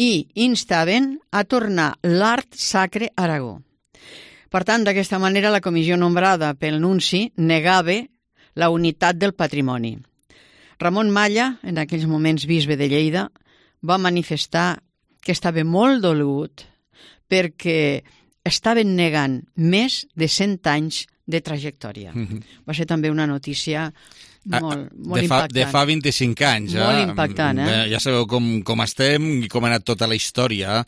I instaven a tornar l'art sacre a Aragó. Per tant, d'aquesta manera, la comissió nombrada pel nunci negava la unitat del patrimoni. Ramon Malla, en aquells moments bisbe de Lleida, va manifestar que estava molt dolgut perquè estaven negant més de cent anys de trajectòria. Mm-hmm. Va ser també una notícia molt, molt de fa, impactant. De fa vint-i-cinc anys. Molt eh? impactant, eh? Ja sabeu com, com estem i com ha anat tota la història.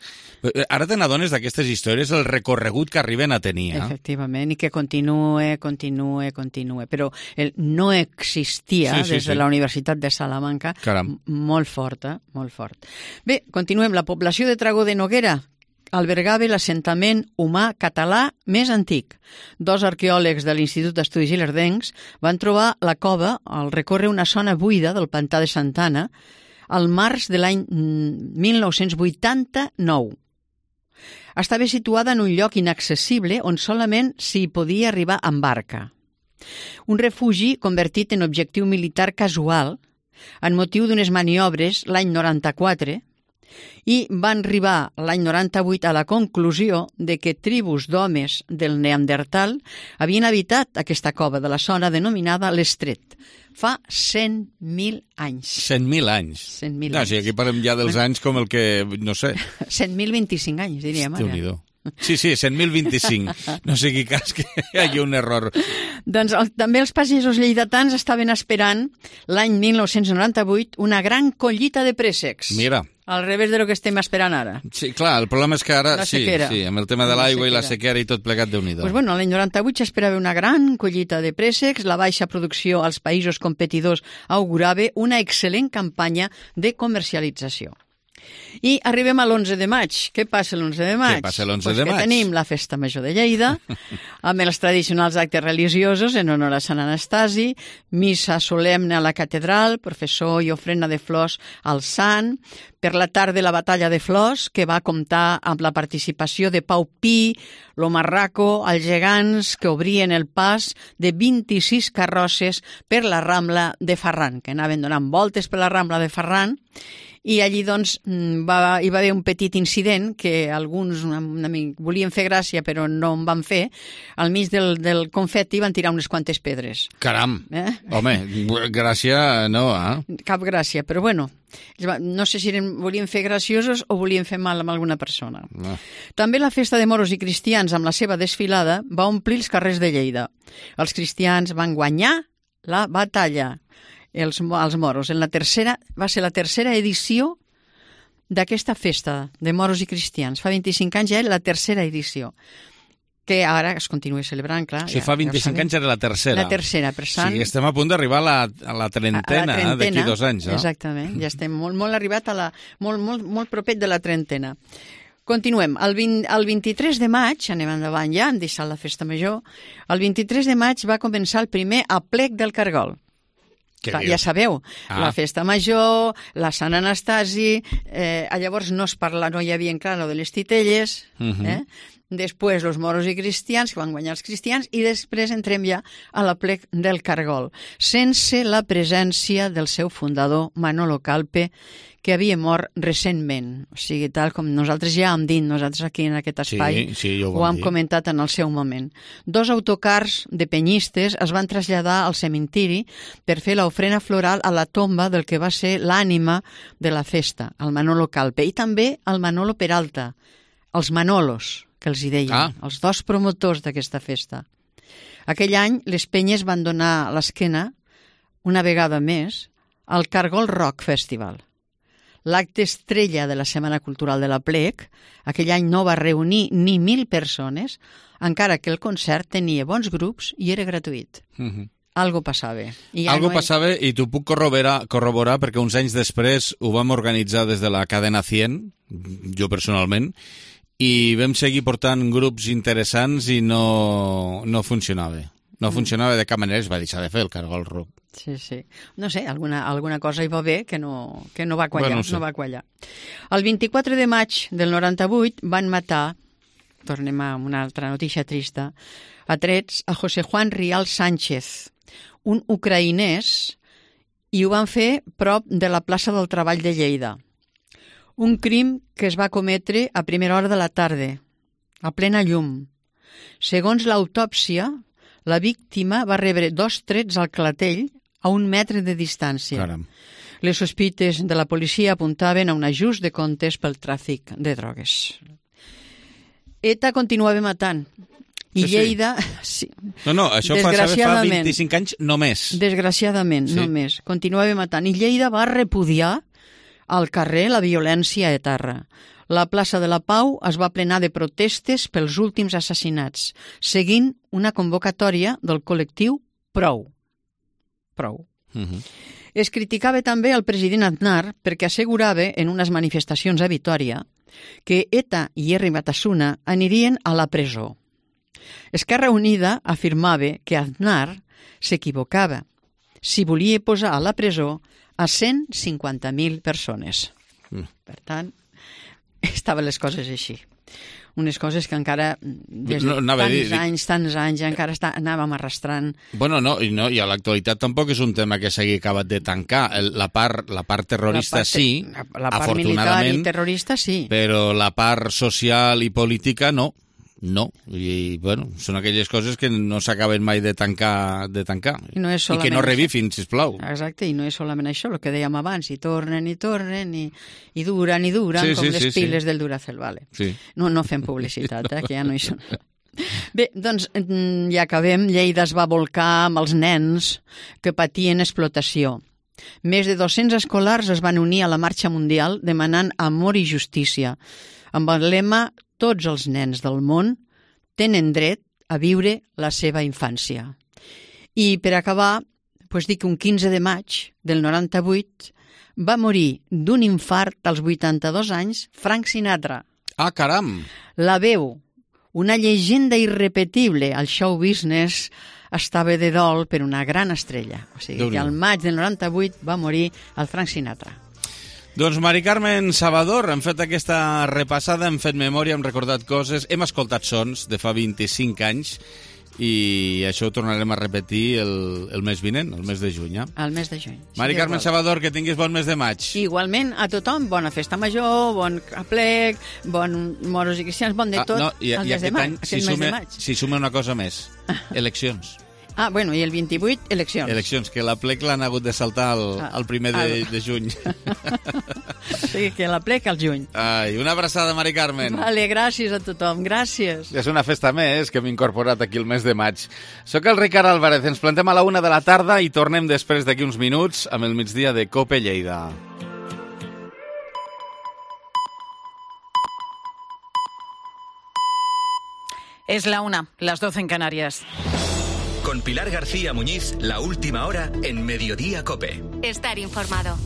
Ara te n'adones d'aquestes històries, el recorregut que arriben a tenir. Eh? Efectivament, i que continue, continue, continue. Però el no existia sí, sí, des de sí. la Universitat de Salamanca, Caram. molt forta, molt fort. Bé, continuem. La població de Tragó de Noguera albergava l'assentament humà català més antic. Dos arqueòlegs de l'Institut d'Estudis Ilerdencs van trobar la cova al recórrer una zona buida del pantà de Santana al març de l'any mil nou-cents vuitanta-nou. Estava situada en un lloc inaccessible on solament s'hi podia arribar amb barca. Un refugi convertit en objectiu militar casual en motiu d'unes maniobres l'any noranta-quatre i van arribar l'any noranta-vuit a la conclusió de que tribus d'homes del Neandertal havien habitat aquesta cova de la zona denominada l'Estret fa cent mil anys. cent mil anys? cent mil no, anys. Sí, aquí parlem ja dels anys com el que, no sé... cent mil vint-i-cinc anys, diríem. Déu-n'hi-do. Sí, sí, cent mil vint-i-cinc. No sigui cas que hi hagi un error. Doncs el, també els pagesos lleidatans estaven esperant l'any mil nou-cents noranta-vuit una gran collita de préssecs. Mira. Al revés de lo que estem esperant ara. Sí, clar, el problema és que ara, sí, sí, amb el tema de l'aigua i la sequera i tot plegat, Déu-n'hi-do. Pues bueno, l'any noranta-vuit s'esperava una gran collita de préssecs, la baixa producció als països competidors augurava una excel·lent campanya de comercialització. I arribem a l'onze de maig. Què passa l'onze de maig? Què passa l'onze pues de maig? Que tenim la Festa Major de Lleida, amb els tradicionals actes religiosos en honor a Sant Anastasi, missa solemne a la catedral, professor i ofrena de flors al sant, per la tarda la batalla de flors, que va comptar amb la participació de Pau Pi, lo Marraco, els gegants que obrien el pas de vint-i-sis carrosses per la Rambla de Ferran, que anaven donant voltes per la Rambla de Ferran, i allí doncs va, hi va haver un petit incident que alguns una, una, volien fer gràcia però no en van fer. Al mig del, del confeti van tirar unes quantes pedres. Caram! Eh? Home, gràcia no, eh? Cap gràcia, però bueno, no sé si eren, volien fer graciosos o volien fer mal amb alguna persona. No. També la festa de moros i cristians amb la seva desfilada va omplir els carrers de Lleida. Els cristians van guanyar la batalla. Els, els moros. En la tercera, va ser la tercera edició d'aquesta festa de moros i cristians. Fa vint-i-cinc anys ja era la tercera edició, que ara es continua celebrant, clar. Si ja, fa vint-i-cinc ja anys era la tercera. La tercera, per tant... Sí, estem a punt d'arribar a, la, a la trentena, a la d'aquí dos anys. No? Exactament, ja estem molt, molt arribat a la... molt, molt, molt propet de la trentena. Continuem. El, vint, el vint-i-tres de maig, anem endavant ja, hem deixat la festa major, el vint-i-tres de maig va començar el primer aplec del Cargol. Clar, ja sabeu, ah. la festa major, la Sant Anastasi, eh, llavors no es parla, no hi havia clar lo de les titelles, uh-huh. eh? Després els moros i cristians, que van guanyar els cristians, i després entrem ja a l'aplec del Cargol, sense la presència del seu fundador, Manolo Calpe, que havia mort recentment. O sigui, tal com nosaltres ja hem dit, nosaltres aquí en aquest espai, sí, sí, ho, ho hem dir. comentat en el seu moment. Dos autocars de penyistes es van traslladar al cementiri per fer l'ofrena floral a la tomba del que va ser l'ànima de la festa, el Manolo Calpe, i també el Manolo Peralta, els Manolos, que els hi deien, ah. els dos promotors d'aquesta festa. Aquell any, les penyes van donar l'esquena, una vegada més, al Cargol Rock Festival. L'acte estrella de la Setmana Cultural de l'Aplec, aquell any no va reunir ni mil persones, encara que el concert tenia bons grups i era gratuït. Uh-huh. Algo passava. I ja Algo no passava i t'ho puc corroborar, corroborar perquè uns anys després ho vam organitzar des de la cadena cent, jo personalment, i vam seguir portant grups interessants i no, no funcionava. No funcionava de cap manera, es va deixar de fer el Cargol Rock. Sí, sí. No sé, alguna, alguna cosa hi va bé que no, que no va quallar. Bueno, no sé. no va quallar. El vint-i-quatre de maig del noranta-vuit van matar, tornem a una altra notícia trista, a trets a José Juan Rial Sánchez, un ucraïnès, i ho van fer prop de la plaça del Treball de Lleida. Un crim que es va cometre a primera hora de la tarda, a plena llum. Segons l'autòpsia, la víctima va rebre dos trets al clatell a un metre de distància. Caram. Les sospites de la policia apuntaven a un ajust de comptes pel tràfic de drogues. ETA continuava matant. I sí, Lleida... Sí. No, no, això passava fa vint-i-cinc anys només. Desgraciadament, sí. només. Continuava matant. I Lleida va repudiar al carrer la violència a terra. La plaça de la Pau es va plenar de protestes pels últims assassinats, seguint una convocatòria del col·lectiu Prou. Prou. Uh-huh. Es criticava també el president Aznar perquè assegurava en unes manifestacions a Vitòria que ETA i Herri Batasuna anirien a la presó. Esquerra Unida afirmava que Aznar s'equivocava si volia posar a la presó a cent cinquanta mil persones. Mm. Per tant, estaven les coses així. Unes coses que encara, des de no, tants dir, anys, tants anys, encara està, anàvem arrastrant. Bueno, no, i, no, i a l'actualitat tampoc és un tema que s'hagi acabat de tancar. El, la, part, la part terrorista la part, sí, la, la part militar i terrorista sí. Però la part social i política no. No, i bueno, són aquelles coses que no s'acaben mai de tancar, de tancar. I, no és I que no revifin, sisplau. Exacte, i no és solament això, el que dèiem abans, i tornen i tornen, i, i duren i duren, sí, com sí, les sí, piles sí. del Duracell, vale. Sí. No, no fem publicitat, eh, que ja no hi són. Bé, doncs ja acabem. Lleida es va volcar amb els nens que patien explotació. Més de dos-cents escolars es van unir a la marxa mundial demanant amor i justícia, amb el lema «Tots els nens del món tenen dret a viure la seva infància». I per acabar, doncs dic que un quinze de maig del noranta-vuit va morir d'un infart als vuitanta-dos anys Frank Sinatra. Ah, caram! La veu, una llegenda irrepetible al show business, estava de dol per una gran estrella. O sigui que al maig del noranta-vuit va morir el Frank Sinatra. Doncs Mari Carmen Salvador, hem fet aquesta repassada, hem fet memòria, hem recordat coses, hem escoltat sons de fa vint-i-cinc anys i això ho tornarem a repetir el, el mes vinent, el mes de juny. Eh? El mes de juny. Mari sí, Carmen Salvador, que tinguis bon mes de maig. Igualment, a tothom, bona festa major, bon aplec, bon moros i cristians, bon de tot, ah, no, i, el i mes de maig. Si sume, si sume una cosa més, eleccions. Ah, bueno, i el vint-i-vuit, eleccions. Eleccions, que la plec l'han hagut de saltar el, ah, el primer de, de juny. Sí, que la plec al juny. Ai, una abraçada, Mari Carmen. Vale, gràcies a tothom, gràcies. És una festa més que hem incorporat aquí el mes de maig. Soc el Ricard Álvarez, ens plantem a la una de la tarda i tornem després d'aquí uns minuts amb el migdia de Cope Lleida. Es la una, las doce en Canarias. Con Pilar García Muñiz, la última hora en Mediodía Cope. Estar informado.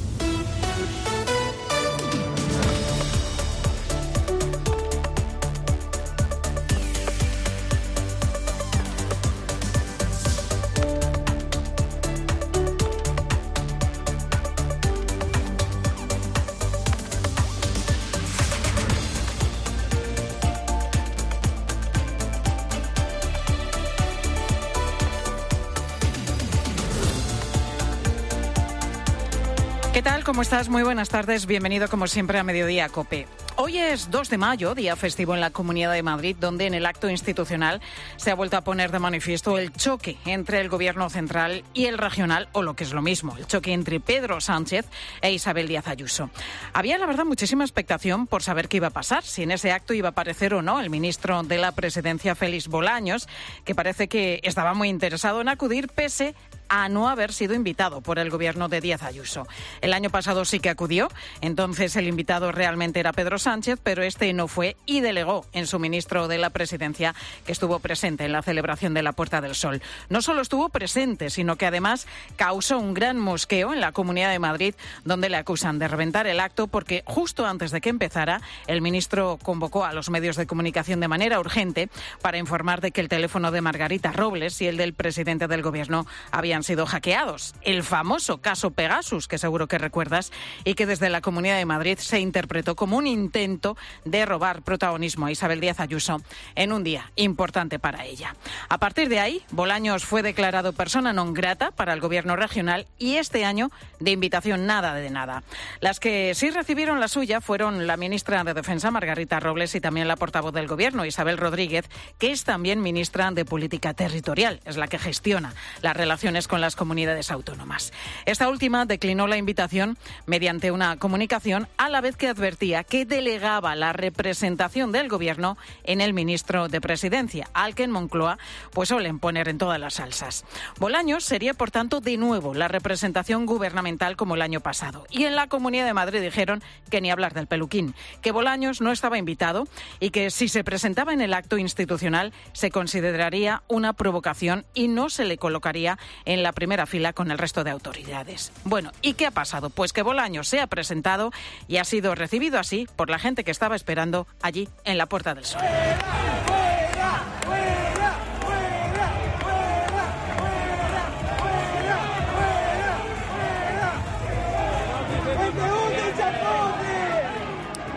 ¿Qué tal? ¿Cómo estás? Muy buenas tardes. Bienvenido como siempre a Mediodía Cope. Hoy es dos de mayo, día festivo en la Comunidad de Madrid, donde en el acto institucional se ha vuelto a poner de manifiesto el choque entre el gobierno central y el regional, o lo que es lo mismo, el choque entre Pedro Sánchez e Isabel Díaz Ayuso. Había, la verdad, muchísima expectación por saber qué iba a pasar, si en ese acto iba a aparecer o no el ministro de la Presidencia, Félix Bolaños, que parece que estaba muy interesado en acudir pese a no haber sido invitado por el gobierno de Díaz Ayuso. El año pasado sí que acudió, entonces el invitado realmente era Pedro Sánchez, pero este no fue y delegó en su ministro de la Presidencia, que estuvo presente en la celebración de la Puerta del Sol. No solo estuvo presente, sino que además causó un gran mosqueo en la Comunidad de Madrid, donde le acusan de reventar el acto porque justo antes de que empezara, el ministro convocó a los medios de comunicación de manera urgente para informar de que el teléfono de Margarita Robles y el del presidente del gobierno habían sido hackeados. El famoso caso Pegasus, que seguro que recuerdas, y que desde la Comunidad de Madrid se interpretó como un intento de robar protagonismo a Isabel Díaz Ayuso en un día importante para ella. A partir de ahí, Bolaños fue declarado persona non grata para el gobierno regional y este año de invitación nada de nada. Las que sí recibieron la suya fueron la ministra de Defensa, Margarita Robles, y también la portavoz del gobierno, Isabel Rodríguez, que es también ministra de Política Territorial, es la que gestiona las relaciones con las comunidades autónomas. Esta última declinó la invitación mediante una comunicación, a la vez que advertía que delegaba la representación del gobierno en el ministro de Presidencia, al que en Moncloa pues suelen poner en todas las salsas. Bolaños sería, por tanto, de nuevo la representación gubernamental como el año pasado. Y en la Comunidad de Madrid dijeron que ni hablar del peluquín, que Bolaños no estaba invitado y que si se presentaba en el acto institucional se consideraría una provocación y no se le colocaría en la primera fila con el resto de autoridades. Bueno, ¿y qué ha pasado? Pues que Bolaños se ha presentado y ha sido recibido así por la gente que estaba esperando allí en la Puerta del Sol.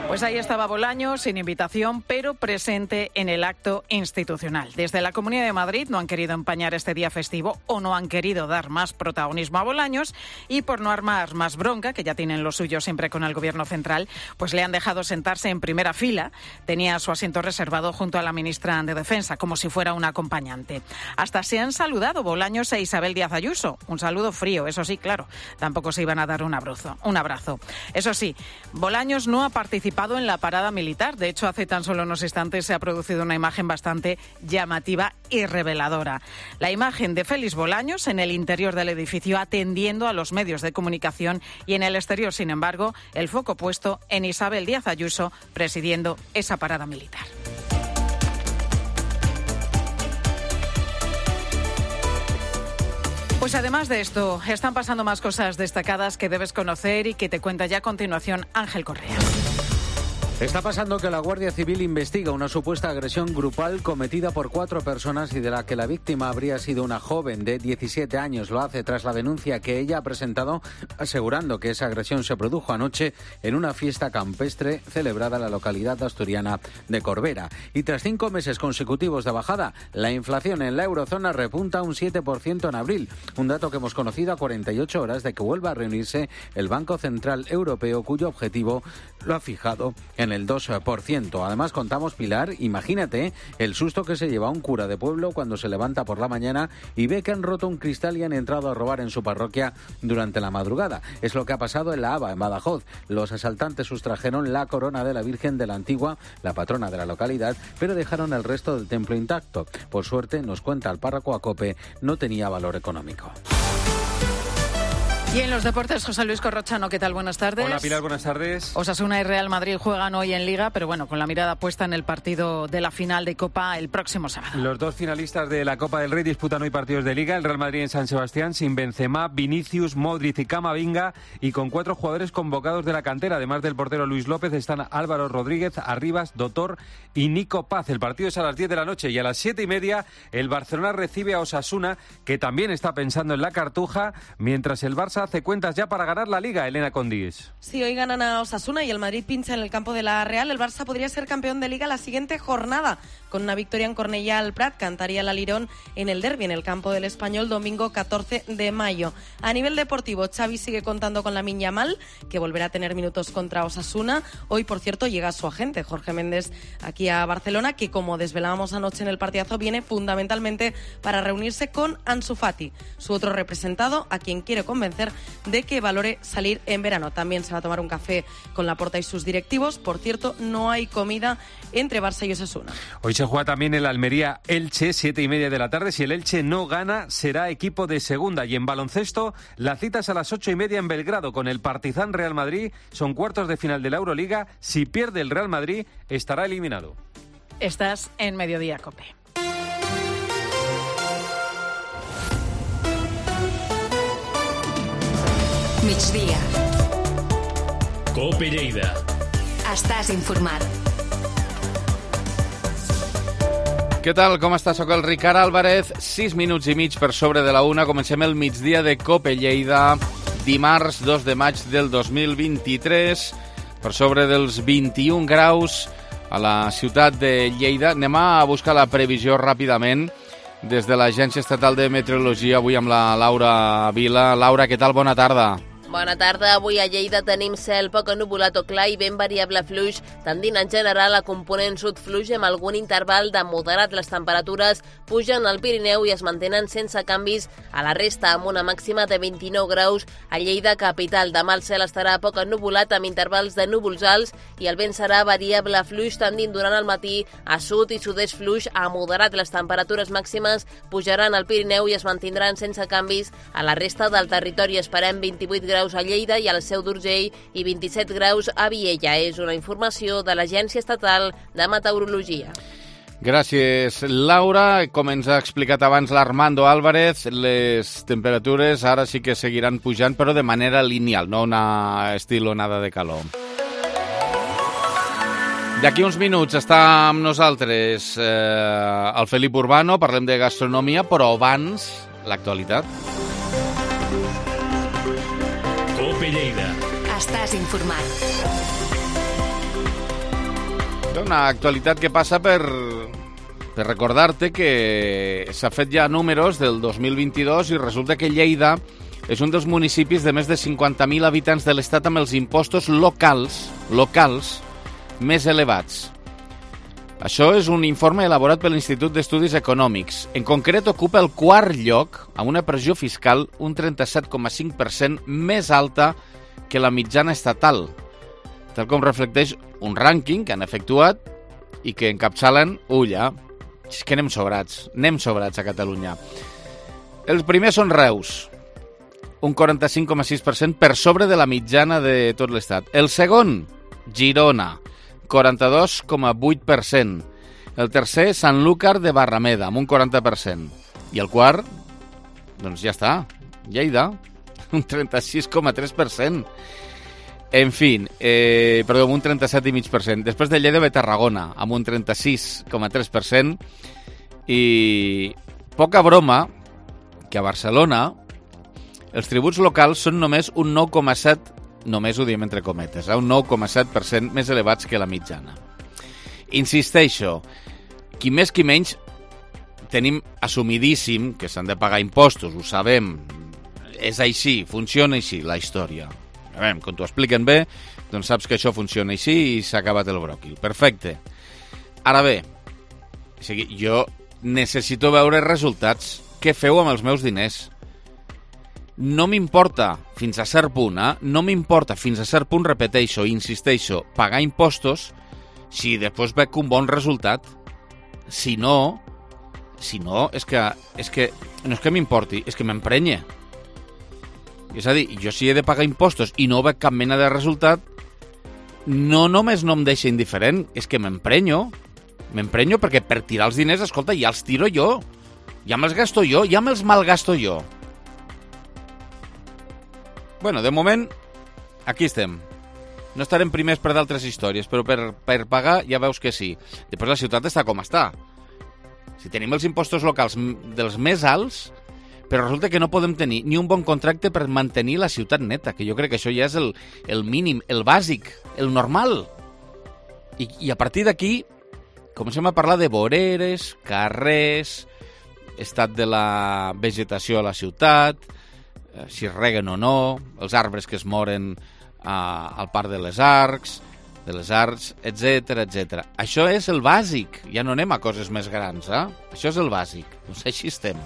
Pues ahí estaba Bolaños, sin invitación, pero presente en el acto institucional. Desde la Comunidad de Madrid no han querido empañar este día festivo o no han querido dar más protagonismo a Bolaños y por no armar más bronca, que ya tienen lo suyo siempre con el gobierno central, pues le han dejado sentarse en primera fila. Tenía su asiento reservado junto a la ministra de Defensa, como si fuera un acompañante. Hasta se han saludado Bolaños e Isabel Díaz Ayuso. Un saludo frío, eso sí, claro. Tampoco se iban a dar un abrazo. Un abrazo. Eso sí, Bolaños no ha participado en la parada militar. De hecho, hace tan solo unos instantes se ha producido una imagen bastante llamativa y reveladora. La imagen de Félix Bolaños en el interior del edificio atendiendo a los medios de comunicación y en el exterior, sin embargo, el foco puesto en Isabel Díaz Ayuso presidiendo esa parada militar. Pues además de esto, están pasando más cosas destacadas que debes conocer y que te cuenta ya a continuación Ángel Correa. Está pasando que la Guardia Civil investiga una supuesta agresión grupal cometida por cuatro personas y de la que la víctima habría sido una joven de diecisiete años. Lo hace tras la denuncia que ella ha presentado asegurando que esa agresión se produjo anoche en una fiesta campestre celebrada en la localidad asturiana de Corbera. Y tras cinco meses consecutivos de bajada, la inflación en la eurozona repunta un siete por ciento en abril, un dato que hemos conocido a cuarenta y ocho horas de que vuelva a reunirse el Banco Central Europeo, cuyo objetivo lo ha fijado en el dos por ciento. Además, contamos, Pilar, imagínate el susto que se lleva un cura de pueblo cuando se levanta por la mañana y ve que han roto un cristal y han entrado a robar en su parroquia durante la madrugada. Es lo que ha pasado en la Aba, en Badajoz. Los asaltantes sustrajeron la corona de la Virgen de la Antigua, la patrona de la localidad, pero dejaron el resto del templo intacto. Por suerte, nos cuenta el párroco Acope, no tenía valor económico. Y en los deportes, José Luis Corrochano, ¿qué tal? Buenas tardes. Hola, Pilar, buenas tardes. Osasuna y Real Madrid juegan hoy en Liga, pero bueno, con la mirada puesta en el partido de la final de Copa el próximo sábado. Los dos finalistas de la Copa del Rey disputan hoy partidos de Liga. El Real Madrid en San Sebastián sin Benzema, Vinicius, Modric y Camavinga, y con cuatro jugadores convocados de la cantera. Además del portero Luis López, están Álvaro Rodríguez, Arribas, Dotor y Nico Paz. El partido es a las diez de la noche y a las siete y media el Barcelona recibe a Osasuna, que también está pensando en la Cartuja, mientras el Barça hace cuentas ya para ganar la Liga. Elena Condis. Sí, hoy ganan a Osasuna y el Madrid pincha en el campo de la Real. El Barça podría ser campeón de Liga la siguiente jornada. Con una victoria en Cornellà al Prat, cantaría el alirón en el derbi en el campo del Español domingo catorce de mayo. A nivel deportivo, Xavi sigue contando con Lamine Yamal, que volverá a tener minutos contra Osasuna. Hoy, por cierto, llega su agente, Jorge Méndez, aquí a Barcelona, que como desvelábamos anoche en el partidazo, viene fundamentalmente para reunirse con Ansu Fati, su otro representado, a quien quiere convencer de que valore salir en verano. También se va a tomar un café con Laporta y sus directivos. Por cierto, no hay comida entre Barça y Osasuna. Hoy se juega también el Almería-Elche, siete y media de la tarde. Si el Elche no gana, será equipo de segunda. Y en baloncesto, la cita es a las ocho y media en Belgrado con el Partizan Real Madrid. Son cuartos de final de la Euroliga. Si pierde el Real Madrid, estará eliminado. Estás en Mediodía Cope. Migdia. Cope Lleida. Estàs informat. Què tal? Com està? Soc el Ricard Álvarez. Sis minuts i mig per sobre de la una. Comencem el migdia de Cope Lleida. Dimarts dos de maig del dos mil vint-i-tres. Per sobre dels vint-i-un graus a la ciutat de Lleida. Anem a buscar la previsió ràpidament des de l'Agència Estatal de Meteorologia, avui amb la Laura Vila. Laura, què tal? Bona tarda. Bona tarda. Avui a Lleida tenim cel poc ennuvolat o clar i ben variable fluix, tendint en general a component sud fluix amb algun interval de moderat. Les temperatures pugen al Pirineu i es mantenen sense canvis a la resta, amb una màxima de vint-i-nou graus a Lleida capital. Demà el cel estarà poc ennuvolat amb intervals de núvols alts i el vent serà variable fluix, tendint durant el matí a sud i sud-est fluix a moderat. Les temperatures màximes pujaran al Pirineu i es mantindran sense canvis a la resta del territori. Esperem vint-i-vuit graus a Lleida i al Seu d'Urgell i vint-i-set graus a Viella. És una informació de l'Agència Estatal de Meteorologia. Gràcies, Laura. Com ens ha explicat abans l'Armando Álvarez, les temperatures ara sí que seguiran pujant, però de manera lineal, no una estil onada de calor. D'aquí uns minuts està amb nosaltres eh, el Felip Urbano, parlem de gastronomia, però abans l'actualitat. Cope Lleida. Estàs informat. Una actualitat que passa per, per recordar-te que s'ha fet ja números del dos mil vint-i-dos i resulta que Lleida és un dels municipis de més de cinquanta mil habitants de l'estat amb els impostos locals, locals més elevats. Això és un informe elaborat per l'Institut d'Estudis Econòmics. En concret, ocupa el quart lloc amb una pressió fiscal un trenta-set coma cinc per cent més alta que la mitjana estatal, tal com reflecteix un rànquing que han efectuat i que encapçalen, ulla, és que anem sobrats, anem sobrats a Catalunya. Els primers són Reus, un quaranta-cinc coma sis per cent per sobre de la mitjana de tot l'estat. El segon, Girona, quaranta-dos coma vuit per cent. El tercer, Sanlúcar de Barrameda, amb un quaranta per cent. I el quart, doncs ja està, Lleida, un trenta-sis coma tres per cent. En fi, eh, perdó, amb un trenta-set coma cinc per cent. Després de Lleida ve Tarragona, amb un trenta-sis coma tres per cent. I poca broma que a Barcelona els tributs locals són només un nou coma set per cent, només ho diem entre cometes, eh? un nou coma set per cent més elevats que la mitjana. Insisteixo, qui més qui menys tenim assumidíssim que s'han de pagar impostos, ho sabem, és així, funciona així la història. A veure, quan t'ho expliquen bé, doncs saps que això funciona així i s'ha acabat el bròquil. Perfecte. Ara bé, o sigui, jo necessito veure resultats. Què feu amb els meus diners? No m'importa, fins a cert punt, eh? no m'importa, fins a cert punt, repeteixo, insisteixo, pagar impostos si després veig un bon resultat. Si no, si no, és que, és que no és que m'importi, és que m'emprenye. És a dir, jo si he de pagar impostos i no veig cap mena de resultat, no només no em deixa indiferent, és que m'emprenyo. M'emprenyo perquè per tirar els diners, escolta, ja els tiro jo. Ja me'ls gasto jo, ja me'ls malgasto jo. Bueno, de moment, aquí estem. No estarem primers per d'altres històries, però per, per pagar ja veus que sí. Després la ciutat està com està. Si tenim els impostos locals dels més alts, però resulta que no podem tenir ni un bon contracte per mantenir la ciutat neta, que jo crec que això ja és el, el mínim, el bàsic, el normal. I, i a partir d'aquí comencem a parlar de voreres, carrers, estat de la vegetació a la ciutat, si reguen o no, els arbres que es moren a, al Parc de les Arcs, de les Arts, etcètera, etcètera. Això és el bàsic, ja no anem a coses més grans, eh? Això és el bàsic. Doncs així estem.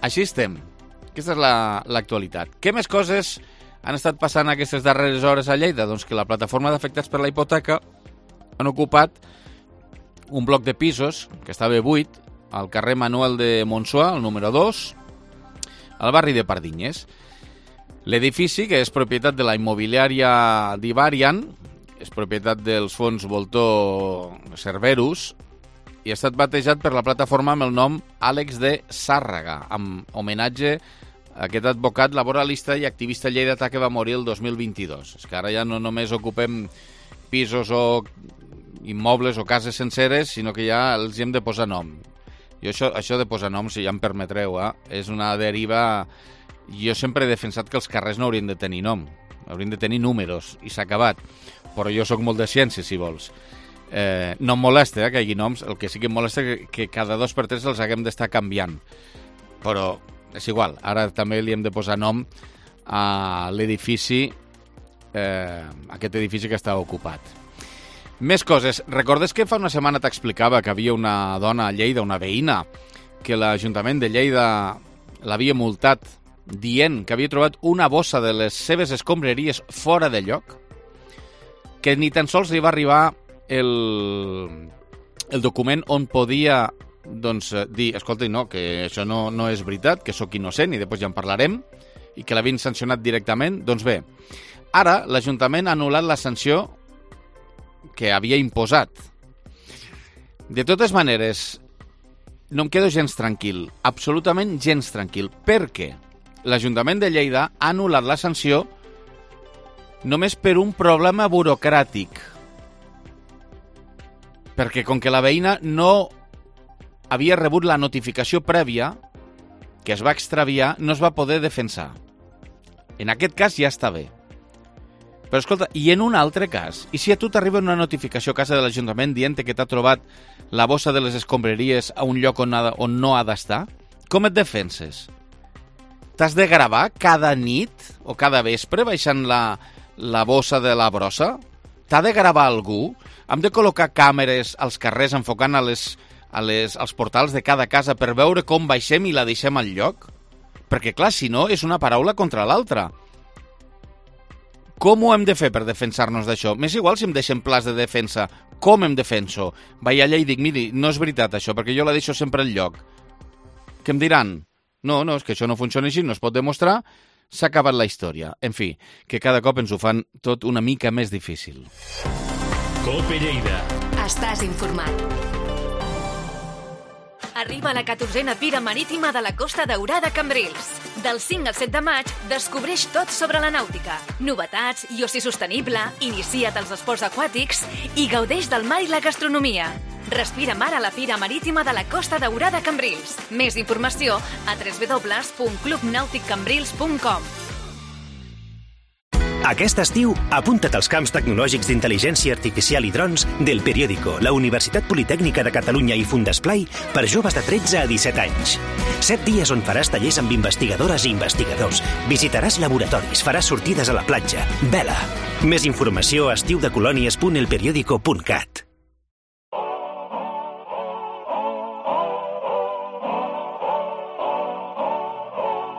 Així estem. Aquesta és l'actualitat. La, Què més coses han estat passant aquestes darreres hores a Lleida? Doncs que la plataforma d'afectats per la hipoteca han ocupat un bloc de pisos que estava buit al carrer Manuel de Montsua, el número dos, al barri de Pardinyes. L'edifici, que és propietat de la immobiliària d'Ivarian, és propietat dels fons Voltor Cerberus, i ha estat batejat per la plataforma amb el nom Àlex de Sàrraga, amb homenatge a aquest advocat laboralista i activista lleidatà que va morir el dos mil vint-i-dos. És que ara ja no només ocupem pisos o immobles o cases senceres, sinó que ja els hi hem de posar nom. Jo això, això de posar noms, si ja em permetreu, eh, és una deriva... Jo sempre he defensat que els carrers no haurien de tenir nom, haurien de tenir números, i s'ha acabat. Però jo sóc molt de ciència, si vols. Eh, no em molesta eh, que hi hagi noms, el que sí que em molesta és que, que cada dos per tres els haguem d'estar canviant. Però és igual, ara també li hem de posar nom a l'edifici, eh, aquest edifici que està ocupat. Més coses. Recordes que fa una setmana t'explicava que havia una dona a Lleida, una veïna, que l'Ajuntament de Lleida l'havia multat dient que havia trobat una bossa de les seves escombraries fora de lloc? Que ni tan sols li va arribar el, el document on podia doncs, dir, escolta, no, que això no, no és veritat, que sóc innocent i després ja en parlarem, i que l'havien sancionat directament. Doncs bé, ara l'Ajuntament ha anul·lat la sanció que havia imposat. De totes maneres, no em quedo gens tranquil, absolutament gens tranquil, perquè l'Ajuntament de Lleida ha anul·lat la sanció només per un problema burocràtic. Perquè com que la veïna no havia rebut la notificació prèvia, que es va extraviar, no es va poder defensar. En aquest cas ja està bé. Però escolta, i en un altre cas? I si a tu t'arriba una notificació a casa de l'Ajuntament dient que t'ha trobat la bossa de les escombraries a un lloc on, ha, on no ha d'estar? Com et defenses? T'has de gravar cada nit o cada vespre baixant la, la bossa de la brossa? T'ha de gravar algú? Hem de col·locar càmeres als carrers enfocant a les, a les, als portals de cada casa per veure com baixem i la deixem al lloc? Perquè, clar, si no, és una paraula contra l'altra. Com ho hem de fer per defensar-nos d'això? M'és igual si em deixen plans de defensa. Com em defenso? Vaig allà i dic, miri, no és veritat això, perquè jo la deixo sempre al lloc. Què em diran? No, no, és que això no funciona així, no es pot demostrar, s'ha acabat la història. En fi, que cada cop ens ho fan tot una mica més difícil. Cope Lleida. Estàs informat. Arriba la catorzena Fira Marítima de la Costa Daurada Cambrils. Del cinc al set de maig, descobreix tot sobre la nàutica. Novetats i oci sostenible, inicia't als esports aquàtics i gaudeix del mar i la gastronomia. Respira mar a la Fira Marítima de la Costa Daurada Cambrils. Més informació a w w w punt club nàutic cambrils punt com. Aquest estiu, apunta't als camps tecnològics d'intel·ligència artificial i drons del Periódico, la Universitat Politècnica de Catalunya i Fundesplai per joves de tretze a disset anys. Set dies on faràs tallers amb investigadores i investigadors, visitaràs laboratoris, faràs sortides a la platja. Vela! Més informació a estiudecolònies punt el periódico punt cat.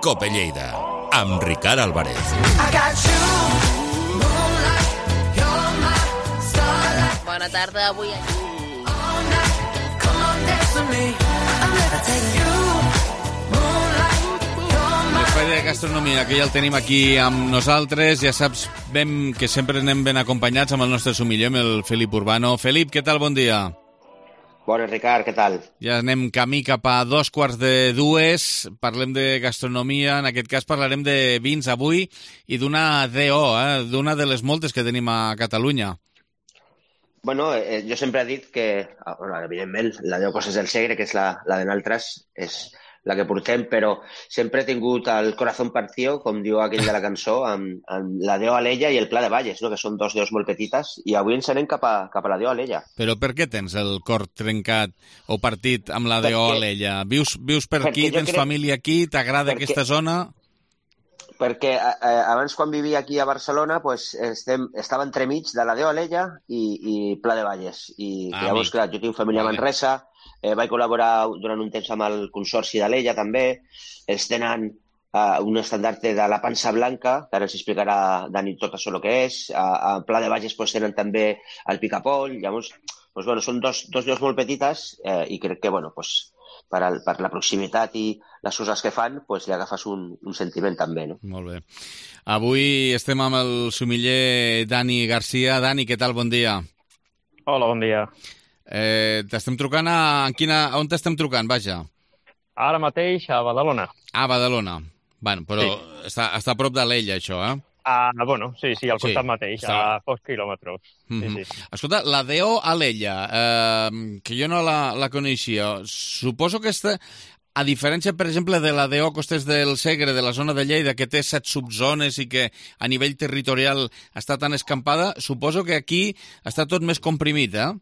Cope Lleida, amb Ricard Álvarez. Bona tarda, avui... L'espai de gastronomia, que ja el tenim aquí amb nosaltres. Ja saps ben que sempre anem ben acompanyats amb el nostre sumiller, amb el Felip Urbano. Felip, què tal? Bon dia. Bones, Ricard, què tal? Ja anem camí cap a dos quarts de dues. Parlem de gastronomia. En aquest cas parlarem de vins avui i d'una D O, eh? d'una de les moltes que tenim a Catalunya. Bueno, eh, jo sempre he dit que, bueno, evidentment, la D O Coses del Segre, que és la, la de nosaltres, és la que portem, però sempre he tingut el corazón partido, com diu aquell de la cançó, amb, amb la D O Alella i el Pla de Valles, no? Que són dos D Os molt petites, i avui ens anem cap a, cap a la D O Alella. Però per què tens el cor trencat o partit amb la D O Alella? Vius, vius per aquí, tens crec... família aquí, t'agrada perquè... aquesta zona? Perquè eh, abans, quan vivia aquí a Barcelona, pues, estem, estava entremig de la D O Alella i, i Pla de Valles. I ah, llavors, clar, jo tinc família a Manresa, Eh, vaig col·laborar durant un temps amb el Consorci d'Alella, també. Ells tenen eh, un estandarte de la pansa blanca, que ara ens explicarà Dani tot això el que és. A, a Pla de Valles pues, tenen també el picapoll. Llavors, pues, bueno, són dos, dos llocs molt petites eh, i crec que, bueno, pues, per, el, per la proximitat i les coses que fan, pues, li agafes un, un sentiment també, no? Molt bé. Avui estem amb el sumiller Dani Garcia. Dani, què tal? Bon dia. Hola, bon dia. Eh, t'estem trucant a... En quina... On t'estem trucant, vaja? Ara mateix a Badalona. Ah, Badalona. Bueno, però sí. està, està a prop d'Alella, això, eh? Ah, bueno, sí, sí, al costat sí, mateix, està... a pocs quilòmetres. Mm-hmm. Sí, sí. Escolta, la D O Alella, eh, que jo no la, la coneixia, suposo que està... A diferència, per exemple, de la D O Costes del Segre, de la zona de Lleida, que té set subzones i que a nivell territorial està tan escampada, suposo que aquí està tot més comprimit, eh?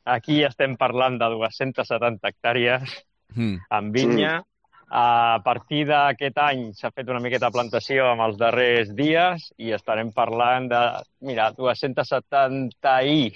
Aquí estem parlant de dues-centes setanta hectàrees mm. amb vinya. Mm. A partir d'aquest any s'ha fet una miqueta de plantació amb els darrers dies i estarem parlant de, mira, dues-centes setanta i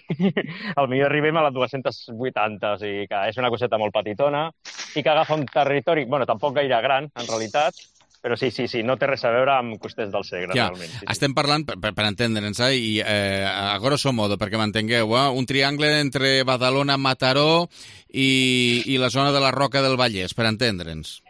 potser arribem a les dues-centes vuitanta, o sigui que és una coseta molt petitona i que agafa un territori, bueno, tampoc gaire gran, en realitat, però sí, sí, sí, no té res a veure amb Costers del Segre, ja, realment. Sí, estem parlant, per, per entendre'ns, eh, i eh, a grosso modo, perquè m'entengueu, eh, un triangle entre Badalona, Mataró i, i la zona de la Roca del Vallès, per entendre'ns.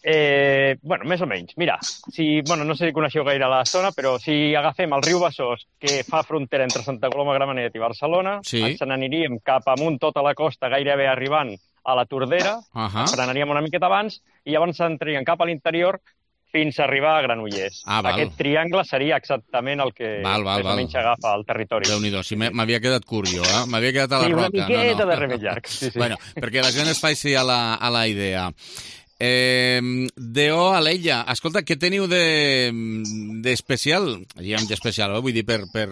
Eh, bueno, més o menys. Mira, si, bueno, no sé si coneixeu gaire la zona, però si agafem el riu Besòs, que fa frontera entre Santa Coloma de Gramenet i Barcelona, sí. ens n'aniríem cap amunt tota la costa, gairebé arribant a la Tordera, uh -huh. frenaríem una miqueta abans i llavors entraríem cap a l'interior fins a arribar a Granollers. Ah, Aquest triangle seria exactament el que val, val, més o menys val. agafa el territori. Déu-n'hi-do, si m'havia quedat curt jo, eh? M'havia quedat a la sí, Roca. Sí, una miqueta no, no. de remei llarg. Sí, sí. Bueno, perquè la gent es faci a la, a la idea. Eh, D O Alella, escolta, què teniu d'especial? De, diguem d'especial, eh? Vull dir, per, per,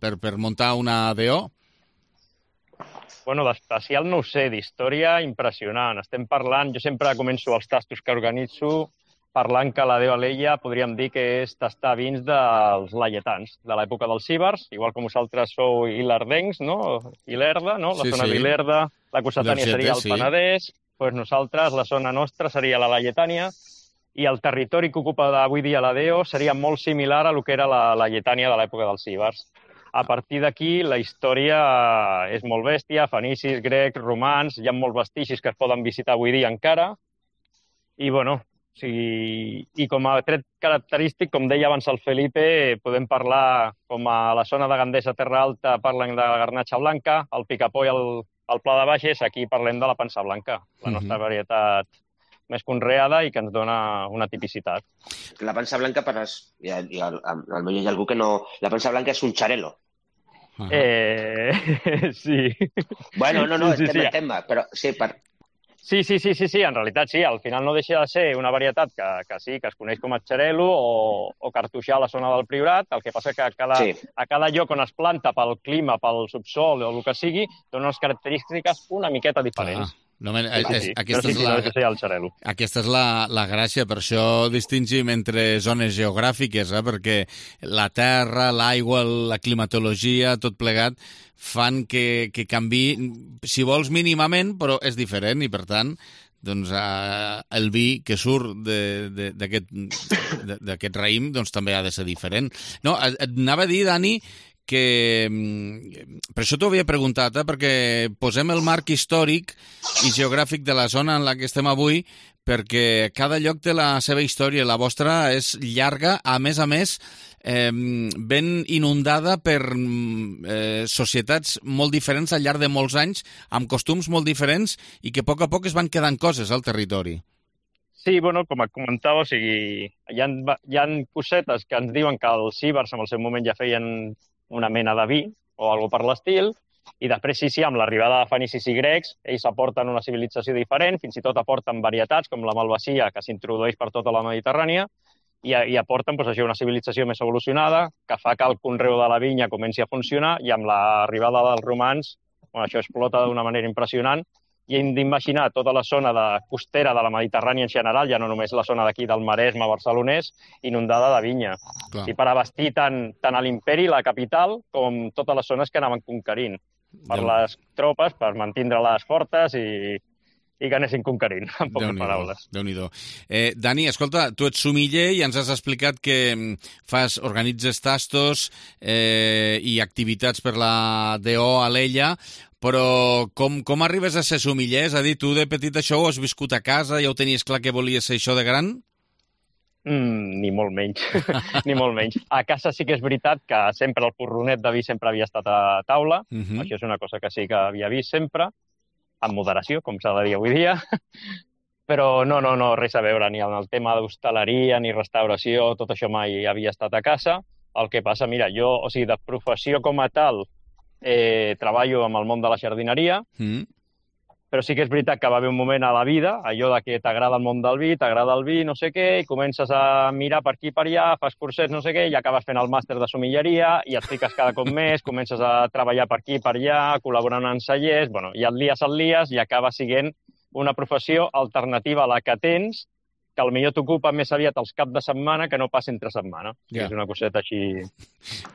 per, per muntar una D O? Bueno, d'especial no ho sé, d'història impressionant. Estem parlant, jo sempre començo els tastos que organitzo parlant que la D O Alella podríem dir que és tastar vins dels laietans, de l'època dels cíbers, igual com vosaltres sou ilerdencs, no? Ilerda, no? La sí, zona sí. d'Ilerda, la Cossetània seria el sí. Penedès, doncs nosaltres, la zona nostra seria la Laietània, i el territori que ocupa avui dia la D O seria molt similar a lo que era la Laietània de l'època dels cíbers. A partir d'aquí, la història és molt bèstia, fenicis, grecs, romans, hi ha molts vestigis que es poden visitar avui dia encara, i, bueno, sí, i com a tret característic, com deia abans el Felipe, podem parlar, com a la zona de Gandesa, Terra Alta, parlen de la garnatxa blanca, el picapoll, el, el pla de baixes, aquí parlem de la pansa blanca, la nostra uh-huh. varietat més conreada i que ens dona una tipicitat. La pansa blanca, per als, i al, i al, al millor hi ha algú que no... La pansa blanca és un xarelo. Uh-huh. Eh... sí. Bueno, no, no, sí, sí, estem sí. en tema, però sí, per... Sí, sí, sí, sí, sí, en realitat sí, al final no deixa de ser una varietat que, que sí, que es coneix com a xarelo o, o cartoixà a la zona del Priorat, el que passa que a cada, sí. a cada lloc on es planta, pel clima, pel subsol o el que sigui, dona unes característiques una miqueta diferents. Ah. No, men, sí, sí, és, sí. Aquesta, sí, és la, sí, el aquesta és la, la gràcia, per això distingim entre zones geogràfiques, eh? Perquè la terra, l'aigua, la climatologia, tot plegat, fan que, que canvi, si vols mínimament, però és diferent i, per tant, doncs, eh, el vi que surt d'aquest raïm doncs, també ha de ser diferent. No, et, et anava a dir, Dani, que per això t'ho havia preguntat, eh? Perquè posem el marc històric i geogràfic de la zona en la que estem avui, perquè cada lloc té la seva història. La vostra és llarga, a més a més, eh, ben inundada per eh, societats molt diferents al llarg de molts anys, amb costums molt diferents i que a poc a poc es van quedant coses al territori. Sí, bueno, com et comentava, o sigui, hi ha, hi ha cosetes que ens diuen que els ibers en el seu moment ja feien una mena de vi o alguna per l'estil, i després sí, sí, amb l'arribada de fenicis i grecs, ells aporten una civilització diferent, fins i tot aporten varietats com la malvasia, que s'introdueix per tota la Mediterrània, i, i aporten doncs, això, una civilització més evolucionada, que fa que el conreu de la vinya comenci a funcionar, i amb l'arribada dels romans, bueno, això explota d'una manera impressionant, i hem d'imaginar tota la zona de costera de la Mediterrània en general, ja no només la zona d'aquí del Maresme barcelonès, inundada de vinya. Clar. I per abastir tant, tant a l'imperi, la capital, com totes les zones que anaven conquerint. Per Déu. Les tropes, per mantindre-les fortes i, i que anessin conquerint, en poques paraules. Déu-n'hi-do. Eh, Dani, escolta, tu ets sumiller i ens has explicat que fas, organitzes tastos eh, i activitats per la D O Alella, però com, com arribes a ser sumiller? És a dir, tu de petit això ho has viscut a casa, ja ho tenies clar que volies ser això de gran? Mm, ni molt menys, ni molt menys. A casa sí que és veritat que sempre el porronet de vi sempre havia estat a taula, uh-huh. Això és una cosa que sí que havia vist sempre, amb moderació, com s'ha de dir avui dia, però no, no, no, res a veure, ni en el tema d'hostaleria, ni restauració, tot això mai havia estat a casa. El que passa, mira, jo, o sigui, de professió com a tal, eh, treballo amb el món de la jardineria, mm. però sí que és veritat que va haver un moment a la vida, allò de que t'agrada el món del vi, t'agrada el vi, no sé què, i comences a mirar per aquí i per allà, fas cursets, no sé què, i acabes fent el màster de somilleria, i et fiques cada cop més, comences a treballar per aquí i per allà, col·laborant en cellers, bueno, i et lies, et lies, i acaba sent una professió alternativa a la que tens, que potser t'ocupa més aviat els caps de setmana que no pas entre setmana. Yeah. És una coseta així...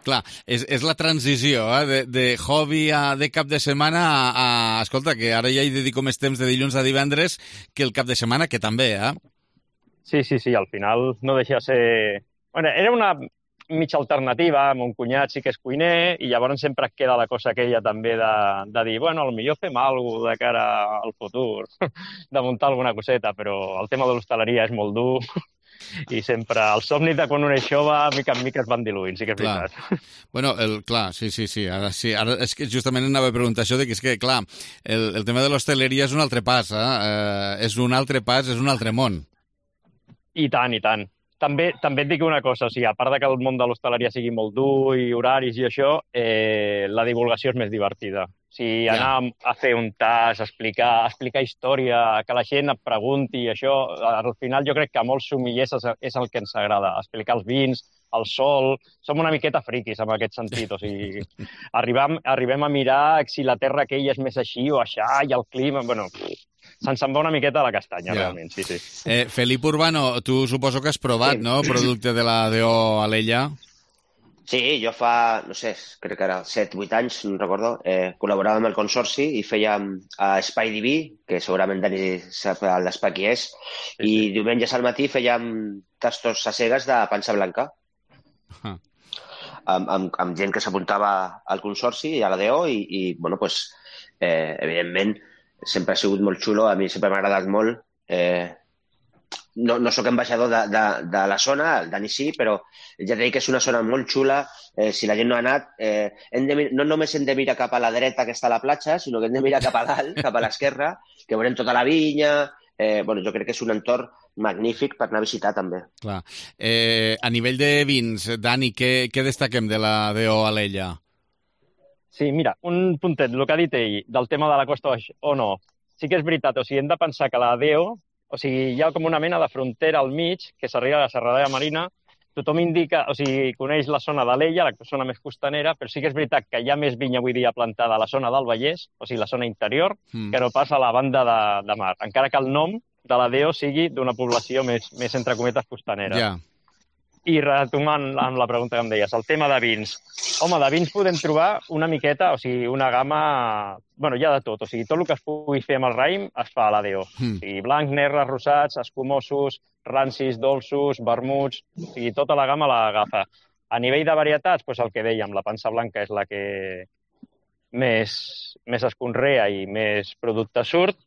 Clar, és, és la transició, eh? de, de hobby a, de cap de setmana a, a... Escolta, que ara ja hi dedico més temps de dilluns a divendres que el cap de setmana, que també, eh? Sí, sí, sí, al final no deixa de ser... Bueno, era una mitja alternativa, mon cunyat sí que és cuiner, i llavors sempre et queda la cosa aquella també de, de dir, bueno, potser fem alguna cosa de cara al futur, de muntar alguna coseta, però el tema de l'hostaleria és molt dur i sempre el somni de quan un és jove, mica en mica es van diluint, sí que és clar. Veritat. Bueno, el, clar, sí, sí, sí, ara sí, ara és que justament anava a preguntar això, de que és que, clar, el, el tema de l'hostaleria és un altre pas, eh? eh? És un altre pas, és un altre món. I tant, i tant. També, també et dic una cosa, o sigui, a part de que el món de l'hostaleria sigui molt dur i horaris i això, eh, la divulgació és més divertida. O sigui, anar ja. a fer un tas, explicar, explicar història, que la gent et pregunti, això, al final jo crec que a molts sumillers és el que ens agrada, explicar els vins, el sol... Som una miqueta friquis en aquest sentit, o sigui, arribem, arribem a mirar si la terra aquella és més així o aixà, i el clima... Bueno, se'ns en va una miqueta a la castanya, ja. Realment, sí, sí. Eh, Felip Urbano, tu suposo que has provat, sí. No?, producte de la D O Alella. Sí, jo fa, no sé, crec que era set vuit anys, no recordo, eh, col·laborava amb el Consorci i fèiem a Espai Diví, que segurament Dani sap l'espai qui és, sí, i sí. Diumenges al matí fèiem tastos a cegues de pansa blanca. Uh-huh. Amb, amb, amb gent que s'apuntava al Consorci i a la D O i, i bueno, pues, eh, evidentment, sempre ha sigut molt xulo, a mi sempre m'ha agradat molt. Eh, no, no sóc ambaixador de, de, de la zona, el Dani sí, però ja t'he dit que és una zona molt xula. Eh, si la gent no ha anat, eh, hem de, no només hem de mirar cap a la dreta que està a la platja, sinó que hem de mirar cap a dalt, cap a l'esquerra, que veurem tota la vinya, eh, bueno, jo crec que és un entorn magnífic per anar a visitar també. Clar. Eh, a nivell de vins, Dani, què, què destaquem de la D O Alella? Sí, mira, un puntet, el que ha dit ell, del tema de la Costa Baix o no. Sí que és veritat, o sigui, hem de pensar que la D O, o sigui, hi ha com una mena de frontera al mig, que s'arriba a la Serralada Marina, tothom indica, o sigui, coneix la zona d'Alella, la zona més costanera, però sí que és veritat que hi ha més vinya avui dia plantada a la zona del Vallès, o sigui, la zona interior, mm. que no pas a la banda de, de mar, encara que el nom de la D O sigui d'una població més, més entre cometes costanera. Ja. I retomant amb la pregunta que em deies, el tema de vins. Home, de vins podem trobar una miqueta, o sigui, una gamma... Bueno, hi ha de tot, o sigui, tot el que es pugui fer amb el raïm es fa a la D O. Mm. O sigui, blancs, negres, rosats, escumosos, rancis, dolços, vermuts, o sigui, tota la gamma l'agafa. A nivell de varietats, doncs el que dèiem, la pansa blanca és la que més, més es conrea i més producte surt.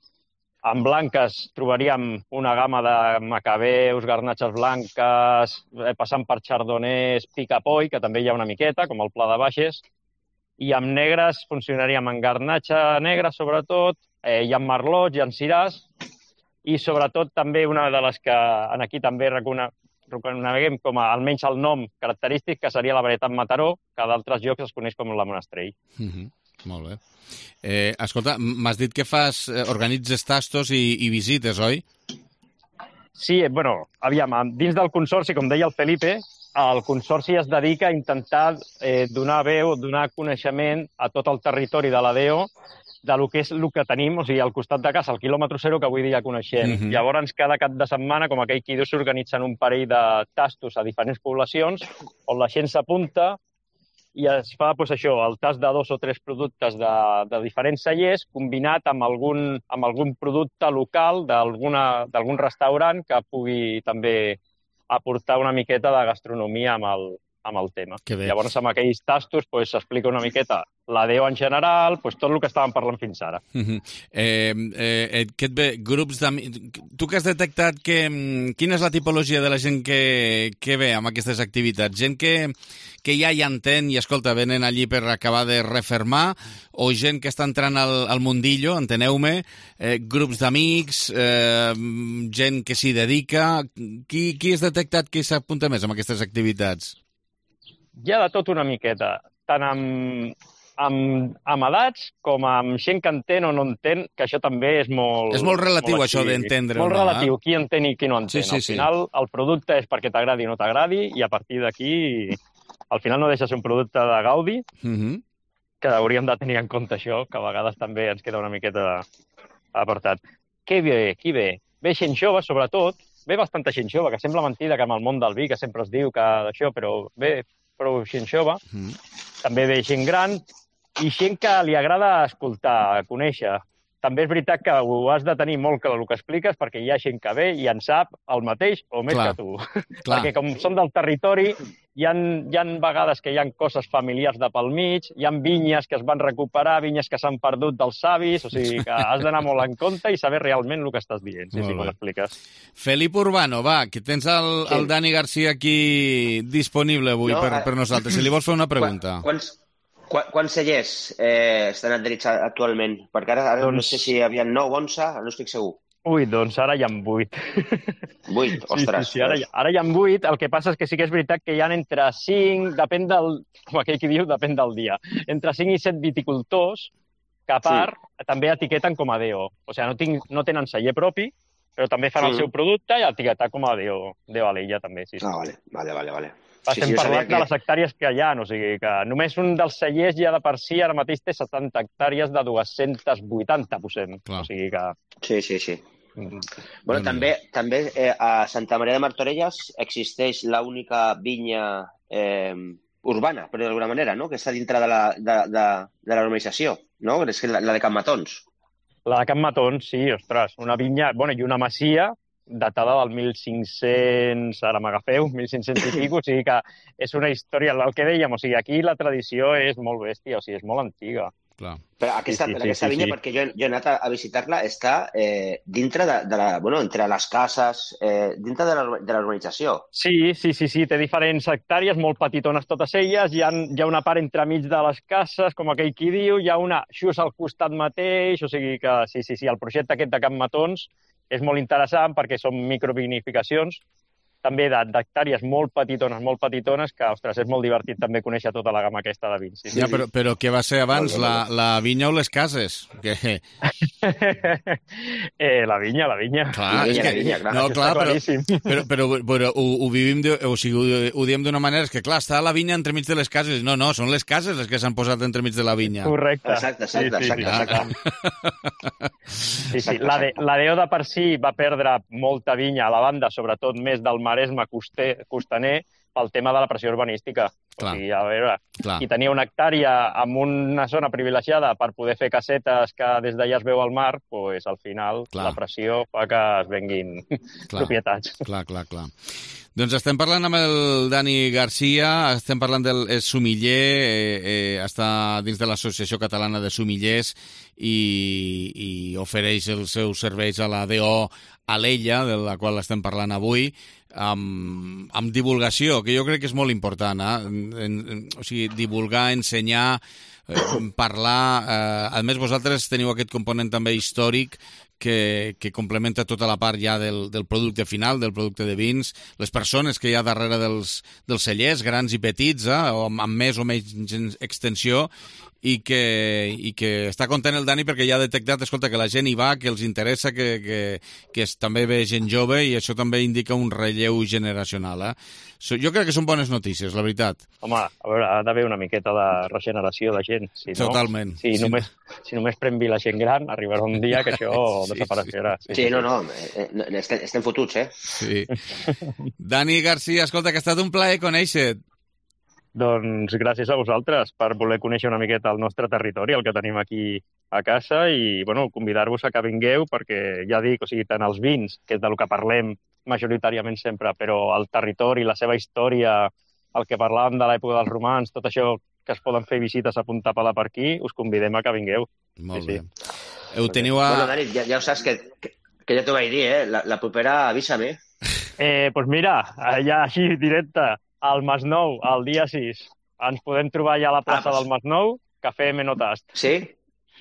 En blanques trobaríem una gamma de macabeus, garnatxes blanques, passant per chardonnays, picapoi, que també hi ha una miqueta, com el Pla de Baixes. I amb negres funcionaríem en garnatxa negra, sobretot, eh, hi ha merlots, hi ha siràs, i sobretot també una de les que aquí també reconeguem com a almenys el nom característic, que seria la varietat Mataró, que d'altres llocs es coneix com la Monastrell. Mm-hmm. Molt bé. Eh, escolta, m'has dit que fas, eh, organitzes tastos i, i visites, oi? Sí, bueno, aviam, dins del consorci, com deia el Felipe, el consorci es dedica a intentar eh, donar veu, donar coneixement a tot el territori de la D O de lo que és el que tenim, o sigui, al costat de casa, el quilòmetre zero que avui dia coneixem. Mm-hmm. Llavors, cada cap de setmana, com aquell qui diu, s'organitzen un parell de tastos a diferents poblacions on la gent s'apunta i es fa doncs, això, el tast de dos o tres productes de, de diferents cellers combinat amb algun, amb algun producte local d'algun restaurant que pugui també aportar una miqueta de gastronomia amb el, amb el tema. Llavors, amb aquells tastos s'explica doncs, una miqueta la D O en general, doncs, tot el que estàvem parlant fins ara. Uh-huh. eh, eh, què et ve? Grups d'amics... Tu que has detectat que... Quina és la tipologia de la gent que, que ve amb aquestes activitats? Gent que, que ja hi entén i, escolta, venen allí per acabar de refermar, o gent que està entrant al, al mundillo, enteneu-me, eh, grups d'amics, eh, gent que s'hi dedica... Qui, qui has detectat que s'apunta més amb aquestes activitats? Hi ha de tot una miqueta, tant amb... Amb, amb edats com amb gent que entén o no entén, que això també és molt... És molt relatiu, molt això d'entendre. Molt no, relatiu, eh? qui entén i qui no entén. Sí, sí, al final, sí. El producte és perquè t'agradi o no t'agradi, i a partir d'aquí, al final no deixa ser un producte de gaudi, uh-huh. que hauríem de tenir en compte això, que a vegades també ens queda una miqueta apartat. Què ve? Qui ve? Ve gent jove, sobretot. Ve bastanta gent jove, que sembla mentida que amb el món del vi, que sempre es diu que d'això, però ve prou gent jove. Uh-huh. També ve gent gran, i gent que li agrada escoltar, conèixer. També és veritat que ho has de tenir molt clar el que expliques, perquè hi ha gent que ve i en sap el mateix o més clar, que tu. Clar. Perquè com som del territori, hi ha, hi ha vegades que hi ha coses familiars de pel mig, hi ha vinyes que es van recuperar, vinyes que s'han perdut dels savis, o sigui que has d'anar molt en compte i saber realment el que estàs dient, sí, sí, com l'expliques. Felip Urbano, va, que tens el, sí. el Dani Garcia aquí disponible avui no, per, per nosaltres. Si li vols fer una pregunta. Quants... Quants cellers eh, estan adherits actualment? Perquè ara, ara doncs... no sé si hi havia nou, onze, no estic segur. Ui, doncs ara hi ha vuit. Vuit? Ostres. Sí, sí, sí, ara, ara hi ha vuit. El que passa és que sí que és veritat que hi ha entre cinc, depèn del... Com aquell que diu, depèn del dia. Entre cinc i set viticultors que a part sí. també etiqueten com a D O. O sigui, no, tinc, no tenen celler propi, però també fan sí. el seu producte i etiquetar com a D O. D O Alella també, sí. sí. Ah, vale, vale, vale. vale. Estem sí, sí, parlant que... de les hectàrees que hi ha, o sigui que només un dels cellers ja de per si ara mateix té setanta hectàrees de dos-cents vuitanta, posem. Clar. O sigui que... Sí, sí, sí. Mm. Bueno, mm. també, també eh, a Santa Maria de Martorelles existeix l'única vinya eh, urbana, però d'alguna manera, no? Que està dintre de la, de, de, de la normalització, no? És la, la de Can Matons. La de Can Matons, sí, ostres, una vinya, bueno, i una masia datada del mil cinc-cents, ara m'agafeu, mil cinc-cents i pico, o sigui que és una història, el que dèiem, o sigui, aquí la tradició és molt bèstia, o sigui, és molt antiga. Clar. Però aquesta, sí, sí, aquesta sí, vinya, sí. perquè jo, jo he anat a, a visitar-la, està eh, dintre de, de la, bueno, entre les cases, eh, dintre de la, de la urbanització. Sí, sí, sí, sí, té diferents hectàrees, molt petitones totes elles, hi ha, hi ha una part entremig de les cases, com aquell qui diu, hi ha una just al costat mateix, o sigui que sí, sí, sí, el projecte aquest de Can Matons és molt interessant perquè són microvinificacions, també d'hectàrees molt petitones, molt petitones, que, ostres, és molt divertit també conèixer tota la gamma aquesta de vins. Sí, ja, sí. Però, però què va ser abans, la, la vinya o les cases? Que... eh, la vinya, la vinya. Clar, la vinya, és que... la vinya, clar, no, clar, però, però, però, però ho, ho vivim, de, o sigui, ho, ho diem d'una manera, és que clar, està la vinya entremig de les cases. No, no, són les cases les que s'han posat entremig de la vinya. Correcte. Exacte, exacte, sí, sí, exacte. Sí, sí. La, de, la D O de per si va perdre molta vinya a la banda, sobretot més del Maresme coster, costaner, pel tema de la pressió urbanística. Clar. O sigui, a veure, Clar. qui tenia una hectàrea amb una zona privilegiada per poder fer casetes que des d'allà es veu al mar, pues, al final Clar. la pressió fa que es venguin clar. propietats. Clar, clar, clar. Doncs estem parlant amb el Dani Garcia, estem parlant del sumiller, eh, eh, està dins de l'Associació Catalana de Sumillers i, i ofereix els seus serveis a la D O Alella, de la qual estem parlant avui, amb, amb divulgació, que jo crec que és molt important, eh? En, en, o sigui, divulgar, ensenyar, eh, parlar... Eh, a més, vosaltres teniu aquest component també històric que, que complementa tota la part ja del, del producte final, del producte de vins, les persones que hi ha darrere dels, dels cellers, grans i petits, eh, o amb, amb més o menys extensió, i que, i que està content el Dani perquè ja ha detectat, escolta, que la gent hi va, que els interessa, que, que, que és, també ve gent jove, i això també indica un relleu generacional. Eh? So, jo crec que són bones notícies, la veritat. Home, a veure, ha d'haver una miqueta de regeneració de gent. Si no, Totalment. Si, sí. només, si només pren vi la gent gran, arribarà un dia que això sí, desapareixerà. Sí, sí, sí, no, no, estem, estem fotuts, eh? Sí. Dani Garcia, escolta, que ha estat un plaer conèixer-te. Doncs gràcies a vosaltres per voler conèixer una miqueta el nostre territori, el que tenim aquí a casa, i bueno, convidar-vos a que vingueu perquè, ja dic, o sigui, tant els vins, que és del que parlem majoritàriament sempre, però el territori, la seva història, el que parlàvem de l'època dels romans, tot això que es poden fer visites a punta pala per aquí, us convidem a que vingueu. Molt sí, bé. Sí. Ho teniu a... Bueno, Dani, ja, ja ho saps que, que, que ja t'ho vaig dir, eh? La, la propera avisa-me. Eh, doncs pues mira, ja així directe, al Masnou, el dia sis. Ens podem trobar ja a la plaça ah, pues... del Masnou, Cafè Menotast. Sí?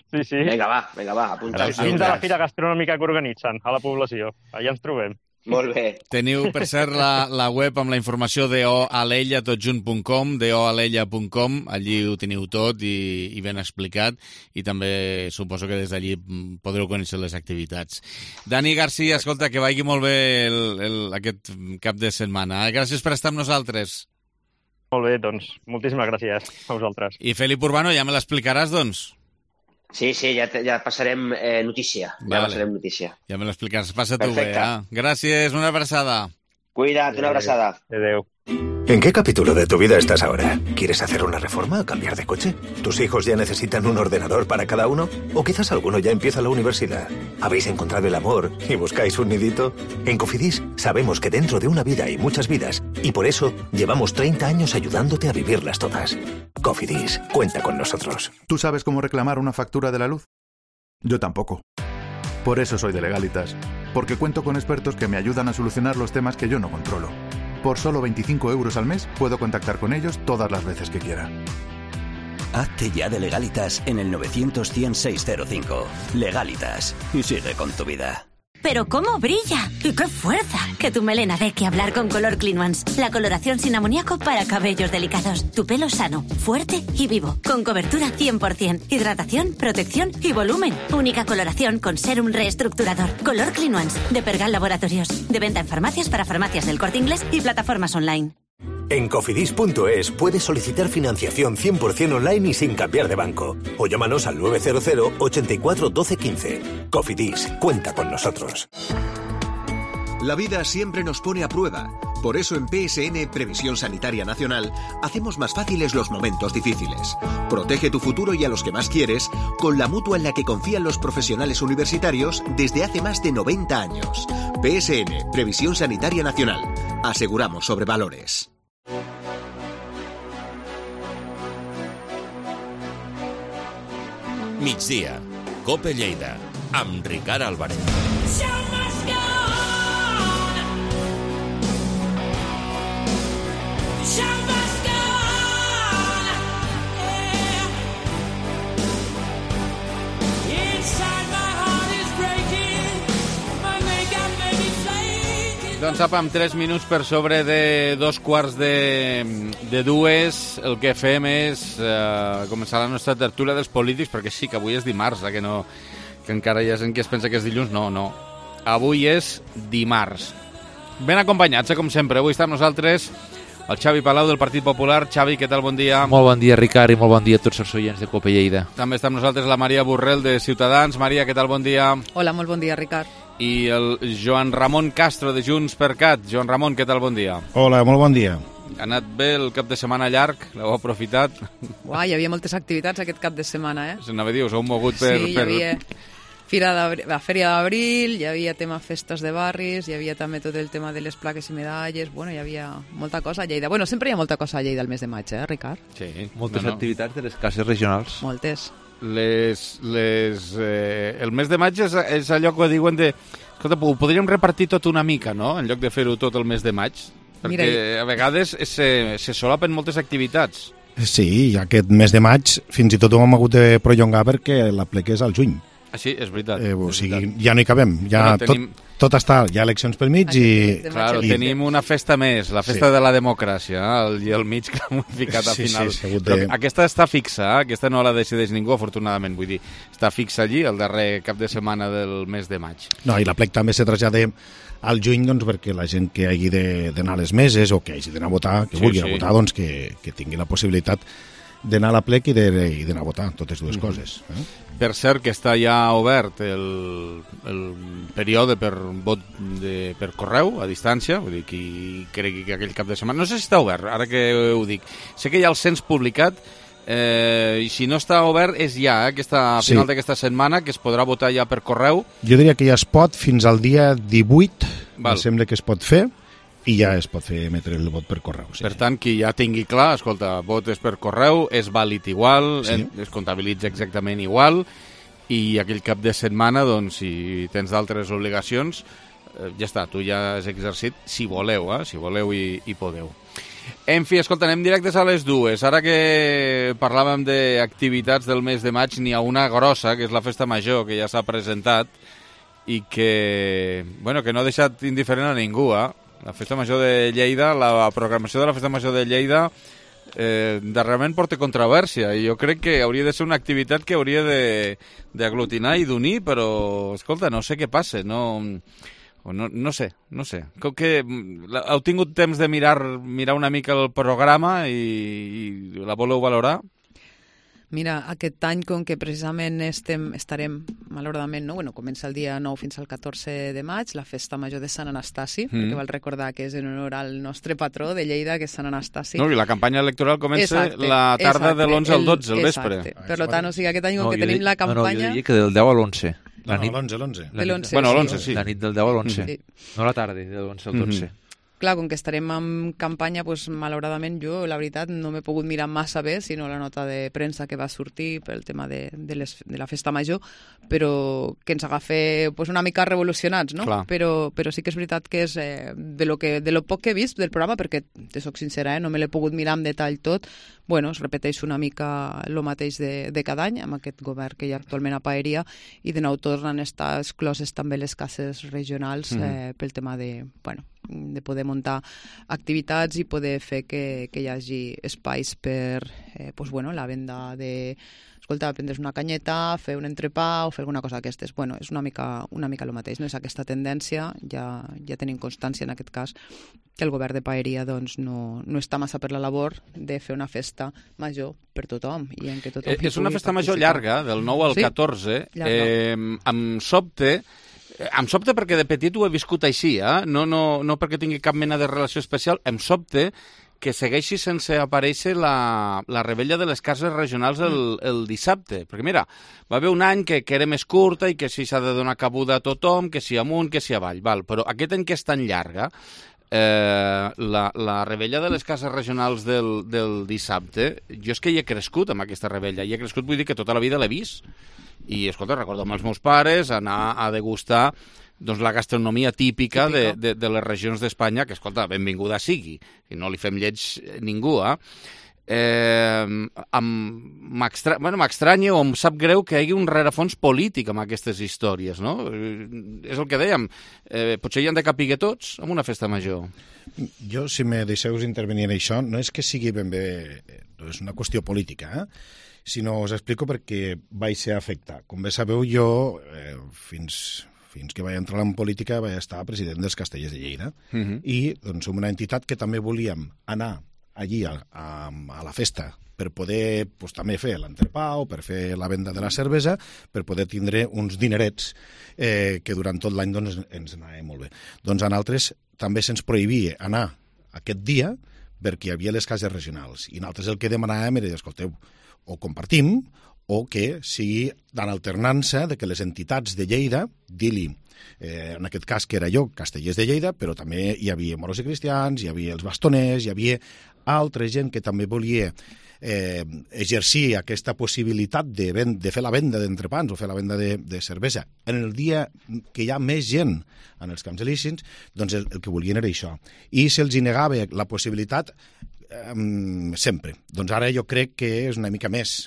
Sí, sí. Vinga, va, vinga, va, apunta. Dins de la fira gastronòmica que organitzen a la població. Allà ens trobem. Molt bé. Teniu, per cert, la, la web amb la informació doalella tot junt punt com, doalella punt com, allí ho teniu tot i, i ben explicat, i també suposo que des d'allí podreu conèixer les activitats. Dani Garcia, escolta, que vagi molt bé el, el, aquest cap de setmana. Gràcies per estar amb nosaltres. Molt bé, doncs, moltíssimes gràcies a vosaltres. I Felip Urbano, ja me l'explicaràs, doncs? Sí, sí, ja, ja passarem eh, notícia. Ja vale. passarem notícia. Ja me l'explicaràs. Passa tu bé, eh? Gràcies, una abraçada. Cuida't, una abraçada. Adéu. ¿En qué capítulo de tu vida estás ahora? ¿Quieres hacer una reforma o cambiar de coche? ¿Tus hijos ya necesitan un ordenador para cada uno? ¿O quizás alguno ya empieza la universidad? ¿Habéis encontrado el amor y buscáis un nidito? En Cofidis sabemos que dentro de una vida hay muchas vidas y por eso llevamos treinta años ayudándote a vivirlas todas. Cofidis, cuenta con nosotros. ¿Tú sabes cómo reclamar una factura de la luz? Yo tampoco. Por eso soy de Legalitas, porque cuento con expertos que me ayudan a solucionar los temas que yo no controlo. Por solo veinticinco euros al mes puedo contactar con ellos todas las veces que quiera. Hazte ya de Legalitas en el novecientos cien seiscientos cinco. Legalitas. Y sigue con tu vida. ¡Pero cómo brilla! ¡Y qué fuerza! Que tu melena dé que hablar con Color Clean Ones. La coloración sin amoníaco para cabellos delicados. Tu pelo sano, fuerte y vivo. Con cobertura cien por cien. Hidratación, protección y volumen. Única coloración con sérum reestructurador. Color Clean Ones. De Pergal Laboratorios. De venta en farmacias para farmacias del Corte Inglés y plataformas online. En cofidis punto es puedes solicitar financiación cien por cien online y sin cambiar de banco. O llámanos al nueve cero cero, ochenta y cuatro, doce, quince. Cofidis, cuenta con nosotros. La vida siempre nos pone a prueba. Por eso en P S N, Previsión Sanitaria Nacional, hacemos más fáciles los momentos difíciles. Protege tu futuro y a los que más quieres con la mutua en la que confían los profesionales universitarios desde hace más de noventa años. P S N, Previsión Sanitaria Nacional. Aseguramos sobre valores. Migdia, Cope Lleida, amb Ricard Álvarez. Doncs apa, amb tres minuts per sobre de dos quarts de, de dues, el que fem és eh, començar la nostra tertúlia dels polítics, perquè sí que avui és dimarts, eh, que, no, que encara hi ha gent que es pensa que és dilluns. No, no. Avui és dimarts. Ben acompanyats, eh, com sempre. Avui està amb nosaltres el Xavi Palau del Partit Popular. Xavi, què tal? Bon dia. Molt bon dia, Ricard, i molt bon dia a tots els oients de Cope Lleida. També està amb nosaltres la Maria Borrell de Ciutadans. Maria, què tal? Bon dia. Hola, molt bon dia, Ricard. I el Joan Ramon Castro de Junts per Cat. Joan Ramon, què tal? Bon dia. Hola, molt bon dia. Ha anat bé el cap de setmana llarg? L'heu aprofitat? Uà, hi havia moltes activitats aquest cap de setmana, eh? S'anava a dir, us heu mogut per... Sí, hi havia Fira la Fèria d'Abril, hi havia tema festes de barris, hi havia també tot el tema de les plaques i medalles, bueno, hi havia molta cosa a Lleida. Bueno, sempre hi ha molta cosa a Lleida el mes de maig, eh, Ricard? Sí. Moltes no, no. activitats de les cases regionals. Moltes. Les, les, eh, el mes de maig és, és allò que diuen de... Escolta, ho podríem repartir tot una mica, no?, en lloc de fer-ho tot el mes de maig, perquè Mira, a vegades se, se solapen moltes activitats. Sí, aquest mes de maig fins i tot ho hem hagut de prolongar perquè la plec és al juny. Ah, sí, és veritat. Eh, o és sigui, veritat. Ja no hi cabem, ja bueno, tenim... tot, tot està, hi ha eleccions pel mig i... Claro, i... tenim una festa més, la festa sí. de la democràcia, el, i el mig que l'hem ficat al sí, final. Sí, de... Aquesta està fixa, eh? Aquesta no la decideix ningú, afortunadament, vull dir, està fixa allí el darrer cap de setmana del mes de maig. No, i la plec també se trasllada al juny, doncs, perquè la gent que hagi d'anar a les meses o que hagi d'anar a votar, que sí, vulgui sí. votar, doncs, que, que tingui la possibilitat d'anar a la plec i d'anar a votar, totes dues mm-hmm. coses. Eh? Per cert, que està ja obert el, el període per vot de, per correu, a distància, vull dir, qui cregui que aquell cap de setmana... No sé si està obert, ara que ho dic. Sé que hi ha el cens publicat, eh, i si no està obert és ja, eh, aquesta, a final sí. d'aquesta setmana, que es podrà votar ja per correu. Jo diria que ja es pot fins al dia divuit, em sembla que es pot fer, i ja es pot fer emetre el vot per correu. Sí, per tant, qui ja tingui clar, escolta, vot és per correu, és vàlid igual, sí. es comptabilitza exactament igual, i aquell cap de setmana, doncs, si tens d'altres obligacions, eh, ja està, tu ja has exercit, si voleu, eh, si voleu i, i podeu. En fi, escolta, anem directes a les dues. Ara que parlàvem d'activitats del mes de maig, n'hi ha una grossa, que és la Festa Major, que ja s'ha presentat, i que, bueno, que no ha deixat indiferent a ningú, eh? La Festa Major de Lleida, la programació de la Festa Major de Lleida eh, darrerament porta controvèrsia i jo crec que hauria de ser una activitat que hauria d'aglutinar i d'unir, però, escolta, no sé què passa, no, no, no sé, no sé. Com que heu tingut temps de mirar, mirar una mica el programa i, i la voleu valorar? Mira, aquest any, com que precisament estem, estarem, malauradament, no? Bueno, comença el dia nou fins al catorze de maig, la Festa Major de Sant Anastasi, mm. perquè val recordar que és en honor al nostre patró de Lleida, que és Sant Anastasi. No, i la campanya electoral comença exacte, la tarda exacte, de l'onze al dotze, al vespre. Exacte. Per tant, o sigui, aquest any, com no, que tenim la campanya... No, no, jo diria que del deu a l'onze. La nit... No, l'onze, l'onze. Bueno, l'onze, sí. La nit del deu a l'onze, sí. No la tarda, de l'onze al dotze. Mm-hmm. Clar, com que estarem en campanya, doncs, malauradament jo, la veritat, no m'he pogut mirar massa bé, sinó la nota de premsa que va sortir pel tema de, de, les, de la Festa Major, però que ens agafa pues, una mica revolucionats, no? Però, però sí que és veritat que és eh, de, lo que, de lo poc que he vist del programa, perquè, te soc sincera, eh, no me l'he pogut mirar en detall tot, bueno, es repeteix una mica el mateix de, de cada any, amb aquest govern que hi ha actualment a Paeria, i de nou tornen a estar excloses també les cases regionals eh, mm. pel tema de, bueno, de poder muntar activitats i poder fer que, que hi hagi espais per eh, pues, bueno, la venda de... Escolta, prendre's una canyeta, fer un entrepà o fer alguna cosa d'aquestes. Bueno, és una mica, una mica el mateix, no és aquesta tendència, ja, ja tenim constància en aquest cas que el govern de Paeria doncs, no, no està massa per la labor de fer una festa major per tothom. I en què tothom eh, és una festa major llarga, del nou al catorze. Sí, eh, amb sobte... Em sobte perquè de petit ho he viscut així, eh? no, no, no perquè tingui cap mena de relació especial, em sobte que segueixi sense aparèixer la, la rebella de les cases regionals el, el dissabte. Perquè mira, va haver un any que, que era més curta i que si s'ha de donar cabuda a tothom, que si amunt, que si avall, val. Però aquest any que és tan llarga, eh, la, la rebella de les cases regionals del, del dissabte, jo és que hi he crescut amb aquesta rebella, hi he crescut, vull dir que tota la vida l'he vist. I, escolta, recordo amb els meus pares anar a degustar doncs, la gastronomia típica, típica. De, de, de les regions d'Espanya, que, escolta, benvinguda sigui, i no li fem lleig ningú, eh? eh, m'estranya bueno, o em sap greu que hi hagi un rerefons polític amb aquestes històries, no? És el que dèiem, eh, potser hi han de capiguer tots en una festa major. Jo, si me deixeu intervenir en això, no és que sigui ben bé, no és una qüestió política, eh? Sinó us explico perquè vaig ser afectat. Com bé sabeu, jo, eh, fins, fins que vaig entrar en política, vaig estar president dels Castellers de Lleida. Uh-huh. I doncs, som una entitat que també volíem anar allí a, a, a la festa per poder pues, també fer l'entrepà o per fer la venda de la cervesa, per poder tindre uns dinerets eh, que durant tot l'any doncs, ens anava molt bé. Doncs a nosaltres també se'ns prohibia anar aquest dia perquè hi havia les cases regionals. I nosaltres el que demanàvem era, escolteu, o compartim, o que sigui en alternança de que les entitats de Lleida, dir-li, eh, en aquest cas que era jo, Castellers de Lleida, però també hi havia moros i cristians, hi havia els bastoners, hi havia altra gent que també volia eh, exercir aquesta possibilitat de, ven de fer la venda d'entrepans o fer la venda de, de cervesa. En el dia que hi ha més gent en els camps elícits, doncs el, el que volien era això. I se'ls negava la possibilitat Um, sempre. Doncs ara jo crec que és una mica més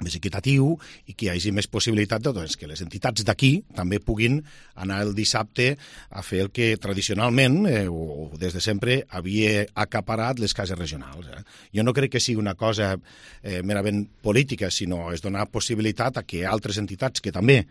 més equitatiu i que hi hagi més possibilitat de, doncs, que les entitats d'aquí també puguin anar el dissabte a fer el que tradicionalment eh, o, o des de sempre havia acaparat les cases regionals. Eh? Jo no crec que sigui una cosa eh, merament política, sinó és donar possibilitat a que altres entitats que també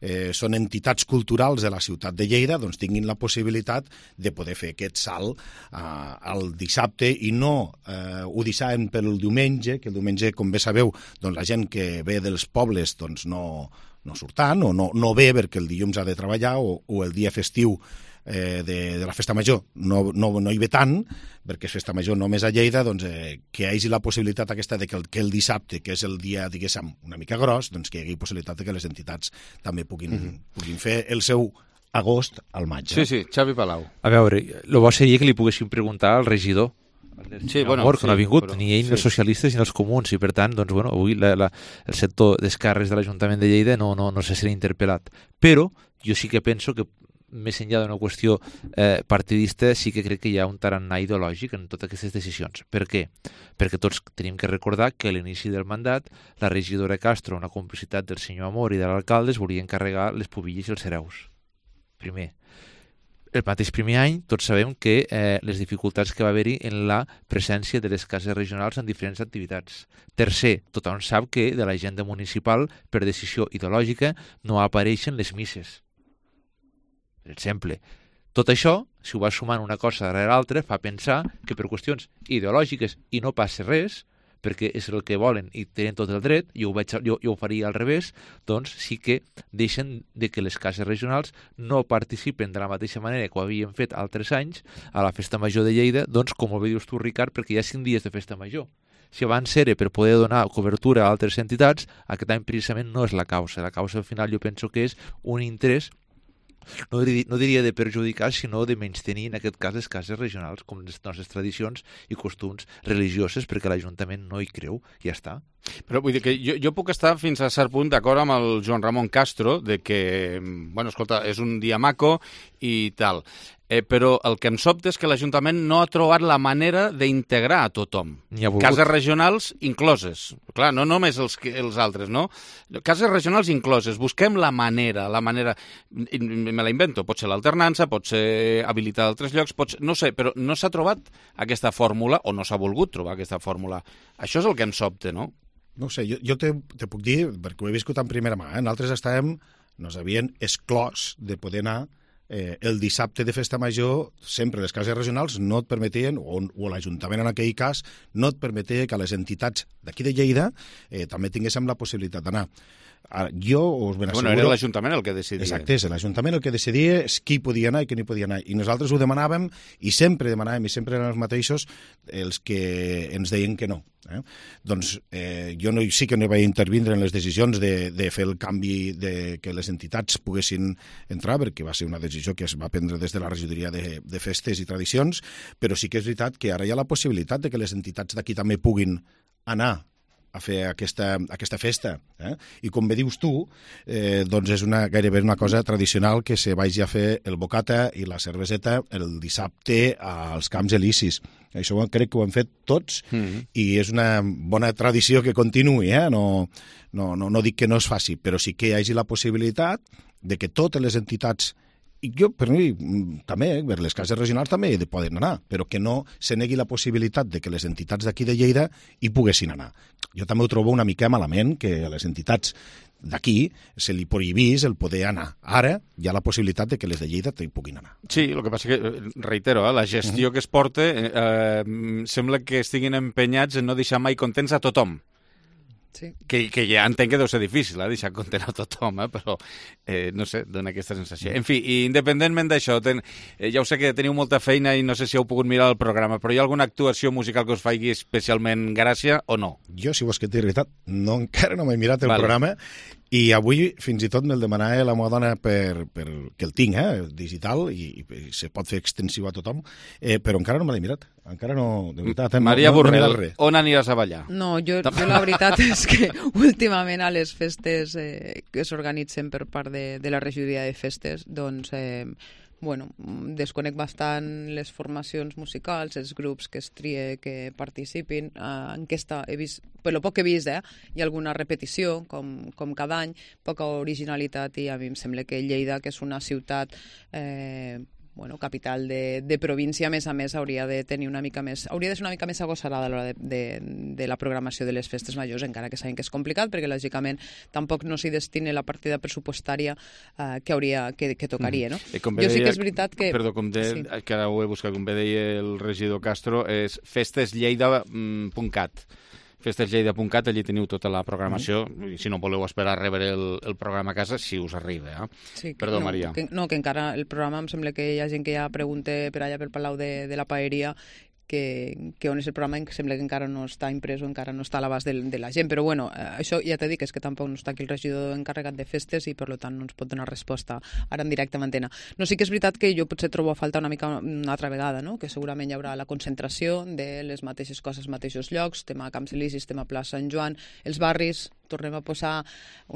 eh, són entitats culturals de la ciutat de Lleida doncs tinguin la possibilitat de poder fer aquest salt eh, al dissabte i no eh, ho deixaven pel diumenge, que el diumenge, com bé sabeu, doncs la gent que ve dels pobles doncs no, no surt tant o no, no ve perquè el dilluns ha de treballar o, o el dia festiu eh, de, de la festa major no, no, no hi ve tant perquè és festa major només a Lleida, doncs eh, que hi hagi la possibilitat aquesta de que el, que el dissabte, que és el dia, diguéssim, una mica gros, doncs que hi hagi possibilitat de que les entitats també puguin, mm-hmm. puguin fer el seu agost al maig. Sí, sí, Xavi Palau. A veure, el bo seria que li poguéssim preguntar al regidor Sí, bueno, Amor, que sí, no ha vingut però, ni ell, sí. ni els socialistes ni els comuns, i per tant, doncs, bueno, avui la, la, el sector d'esquerres de l'Ajuntament de Lleida no, no, no se serà interpel·lat. Però jo sí que penso que més enllà d'una qüestió eh, partidista, sí que crec que hi ha un tarannà ideològic en totes aquestes decisions. Per què? Perquè tots tenim que recordar que a l'inici del mandat la regidora Castro, una complicitat del senyor Amor i de l'alcalde, es volia encarregar les pubilles i els cereus. Primer. El mateix primer any, tots sabem que eh, les dificultats que va haver-hi en la presència de les cases regionals en diferents activitats. Tercer, tothom sap que de l'agenda municipal, per decisió ideològica, no apareixen les misses. Per exemple, tot això, si ho vas sumant una cosa darrere l'altra, fa pensar que per qüestions ideològiques i no passa res, perquè és el que volen i tenen tot el dret, jo ho, vaig, jo, jo ho faria al revés, doncs sí que deixen de que les cases regionals no participen de la mateixa manera que ho havien fet altres anys a la Festa Major de Lleida, doncs com ho dius tu, Ricard, perquè hi ha cinc dies de Festa Major. Si abans era per poder donar cobertura a altres entitats, aquest any precisament no és la causa. La causa al final jo penso que és un interès No diria, no diria de perjudicar, sinó de menystenir, en aquest cas, les cases regionals, com les nostres tradicions i costums religioses, perquè l'Ajuntament no hi creu, i ja està. Però vull dir que jo, jo puc estar fins a cert punt d'acord amb el Joan Ramon Castro, de que, bueno, escolta, és un dia maco i tal. Eh, però el que em sobta és que l'Ajuntament no ha trobat la manera d'integrar a tothom. Cases regionals incloses. Clar, no només els, els altres, no? Cases regionals incloses. Busquem la manera, la manera... Me la invento. Pot ser l'alternança, pot ser habilitar altres llocs, pot ser... no sé, però no s'ha trobat aquesta fórmula, o no s'ha volgut trobar aquesta fórmula. Això és el que em sobta, no? No sé, jo, jo te, te puc dir, perquè ho he viscut en primera mà, eh? Nosaltres estàvem, nos havien exclòs de poder anar Eh, el dissabte de Festa Major, sempre les cases regionals no et permetien, o, o l'Ajuntament en aquell cas, no et permetia que les entitats d'aquí de Lleida eh, també tinguéssim la possibilitat d'anar. Ara, jo us ben asseguro... Bueno, era l'Ajuntament el que decidia. Exacte, és l'Ajuntament el que decidia qui podia anar i qui no podia anar. I nosaltres ho demanàvem, i sempre demanàvem, i sempre eren els mateixos els que ens deien que no. Eh? Doncs eh, jo no, sí que no vaig intervindre en les decisions de, de fer el canvi de que les entitats poguessin entrar, perquè va ser una decisió que es va prendre des de la regidoria de, de festes i tradicions, però sí que és veritat que ara hi ha la possibilitat de que les entitats d'aquí també puguin anar a fer aquesta, aquesta festa. Eh? I com bé dius tu, eh, doncs és una, gairebé una cosa tradicional que se vagi a fer el bocata i la cerveseta el dissabte als Camps Elisis. Això crec que ho hem fet tots mm-hmm. i és una bona tradició que continuï. Eh? No, no, no, no dic que no es faci, però sí que hi hagi la possibilitat de que totes les entitats, i jo, per mi, també, per les cases regionals també hi poden anar, però que no se negui la possibilitat de que les entitats d'aquí de Lleida hi poguessin anar. Jo també ho trobo una mica malament que a les entitats d'aquí se li prohibís el poder anar. Ara hi ha la possibilitat de que les de Lleida hi puguin anar. Sí, el que passa que, reitero, eh, la gestió uh-huh. que es porta eh, sembla que estiguin empenyats en no deixar mai contents a tothom. Sí. Que, que ja entenc que deu ser difícil, eh, deixar content a tothom, eh, però eh, no sé, dona aquesta sensació. En fi, independentment d'això, ten, eh, ja ho sé que teniu molta feina i no sé si heu pogut mirar el programa, però hi ha alguna actuació musical que us faci especialment gràcia o no? Jo, si vols que t'hi veritat, no, encara no m'he mirat el vale. programa i avui fins i tot me'l demanava la meva dona per, per, que el tinc, eh, digital, i, i se pot fer extensiu a tothom, eh, però encara no me l'he mirat. Encara no, de veritat. Eh, Maria no, Borrell, no on aniràs a ballar? No, jo, jo la veritat és que últimament a les festes eh, que s'organitzen per part de, de la regidoria de festes, doncs... Eh, bueno, desconec bastant les formacions musicals, els grups que es trie que participin. Uh, en aquesta he vist, per lo poc que he vist, eh, hi ha alguna repetició, com, com cada any, poca originalitat, i a mi em sembla que Lleida, que és una ciutat eh, bueno, capital de, de província, a més a més, hauria de tenir una mica més, hauria de ser una mica més agosarada a l'hora de, de, de la programació de les festes majors, encara que sabem que és complicat, perquè lògicament tampoc no s'hi destine la partida pressupostària eh, que hauria que, que tocaria, no? Mm. Jo deia, sí que és veritat que... Perdó, com de, sí. que ara ho he buscat, com bé deia el regidor Castro, és festeslleida punt cat. festeslleida punt cat, allí teniu tota la programació, mm. i si no voleu esperar a rebre el, el programa a casa, si us arriba. Eh? Sí, Perdó, no, Maria. Que, no, que encara el programa em sembla que hi ha gent que ja pregunta per allà pel Palau de, de la Paeria que, que on és el programa, em sembla que encara no està imprès o encara no està a l'abast de, de la gent, però bueno, eh, això ja t'he dit, és que tampoc no està aquí el regidor encarregat de festes i per tant no ens pot donar resposta ara en directe a antena. No, sí que és veritat que jo potser trobo a falta una mica una altra vegada, no? Que segurament hi haurà la concentració de les mateixes coses als mateixos llocs, tema Camps Elisis, tema Plaça Sant Joan, els barris, tornem a posar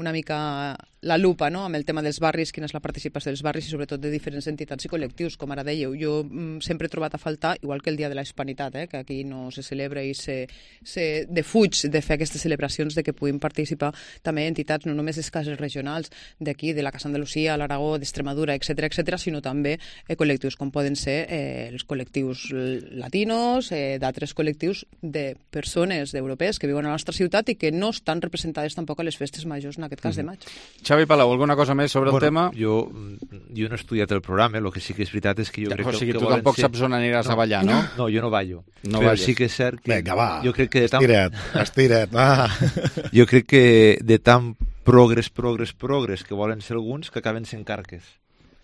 una mica la lupa, no?, amb el tema dels barris, quina és la participació dels barris i sobretot de diferents entitats i col·lectius, com ara dèieu. Jo mm, sempre he trobat a faltar, igual que el Dia de la Hispanitat, eh, que aquí no se celebra i se, se defuig de fer aquestes celebracions, de que puguin participar també entitats, no només les cases regionals d'aquí, de la Casa Andalusia, l'Aragó, d'Extremadura, etcètera, etcètera, sinó també eh, col·lectius com poden ser eh, els col·lectius latinos, eh, d'altres col·lectius de persones europees que viuen a la nostra ciutat i que no estan representades tampoc a les festes majors, en aquest cas de maig. Xavi Palau, alguna cosa més sobre bueno, el tema? Jo, jo no he estudiat el programa, el que sí que és veritat és que jo ja, crec que... O sigui, que tu tampoc ser... saps on aniràs no, a ballar, no? No, jo no ballo. No però balles. Sí que és cert que... Vinga, va, jo crec que de tan... estira't, estira't, va. Jo crec que de tan progres, progres, progres que volen ser alguns que acaben sent carques.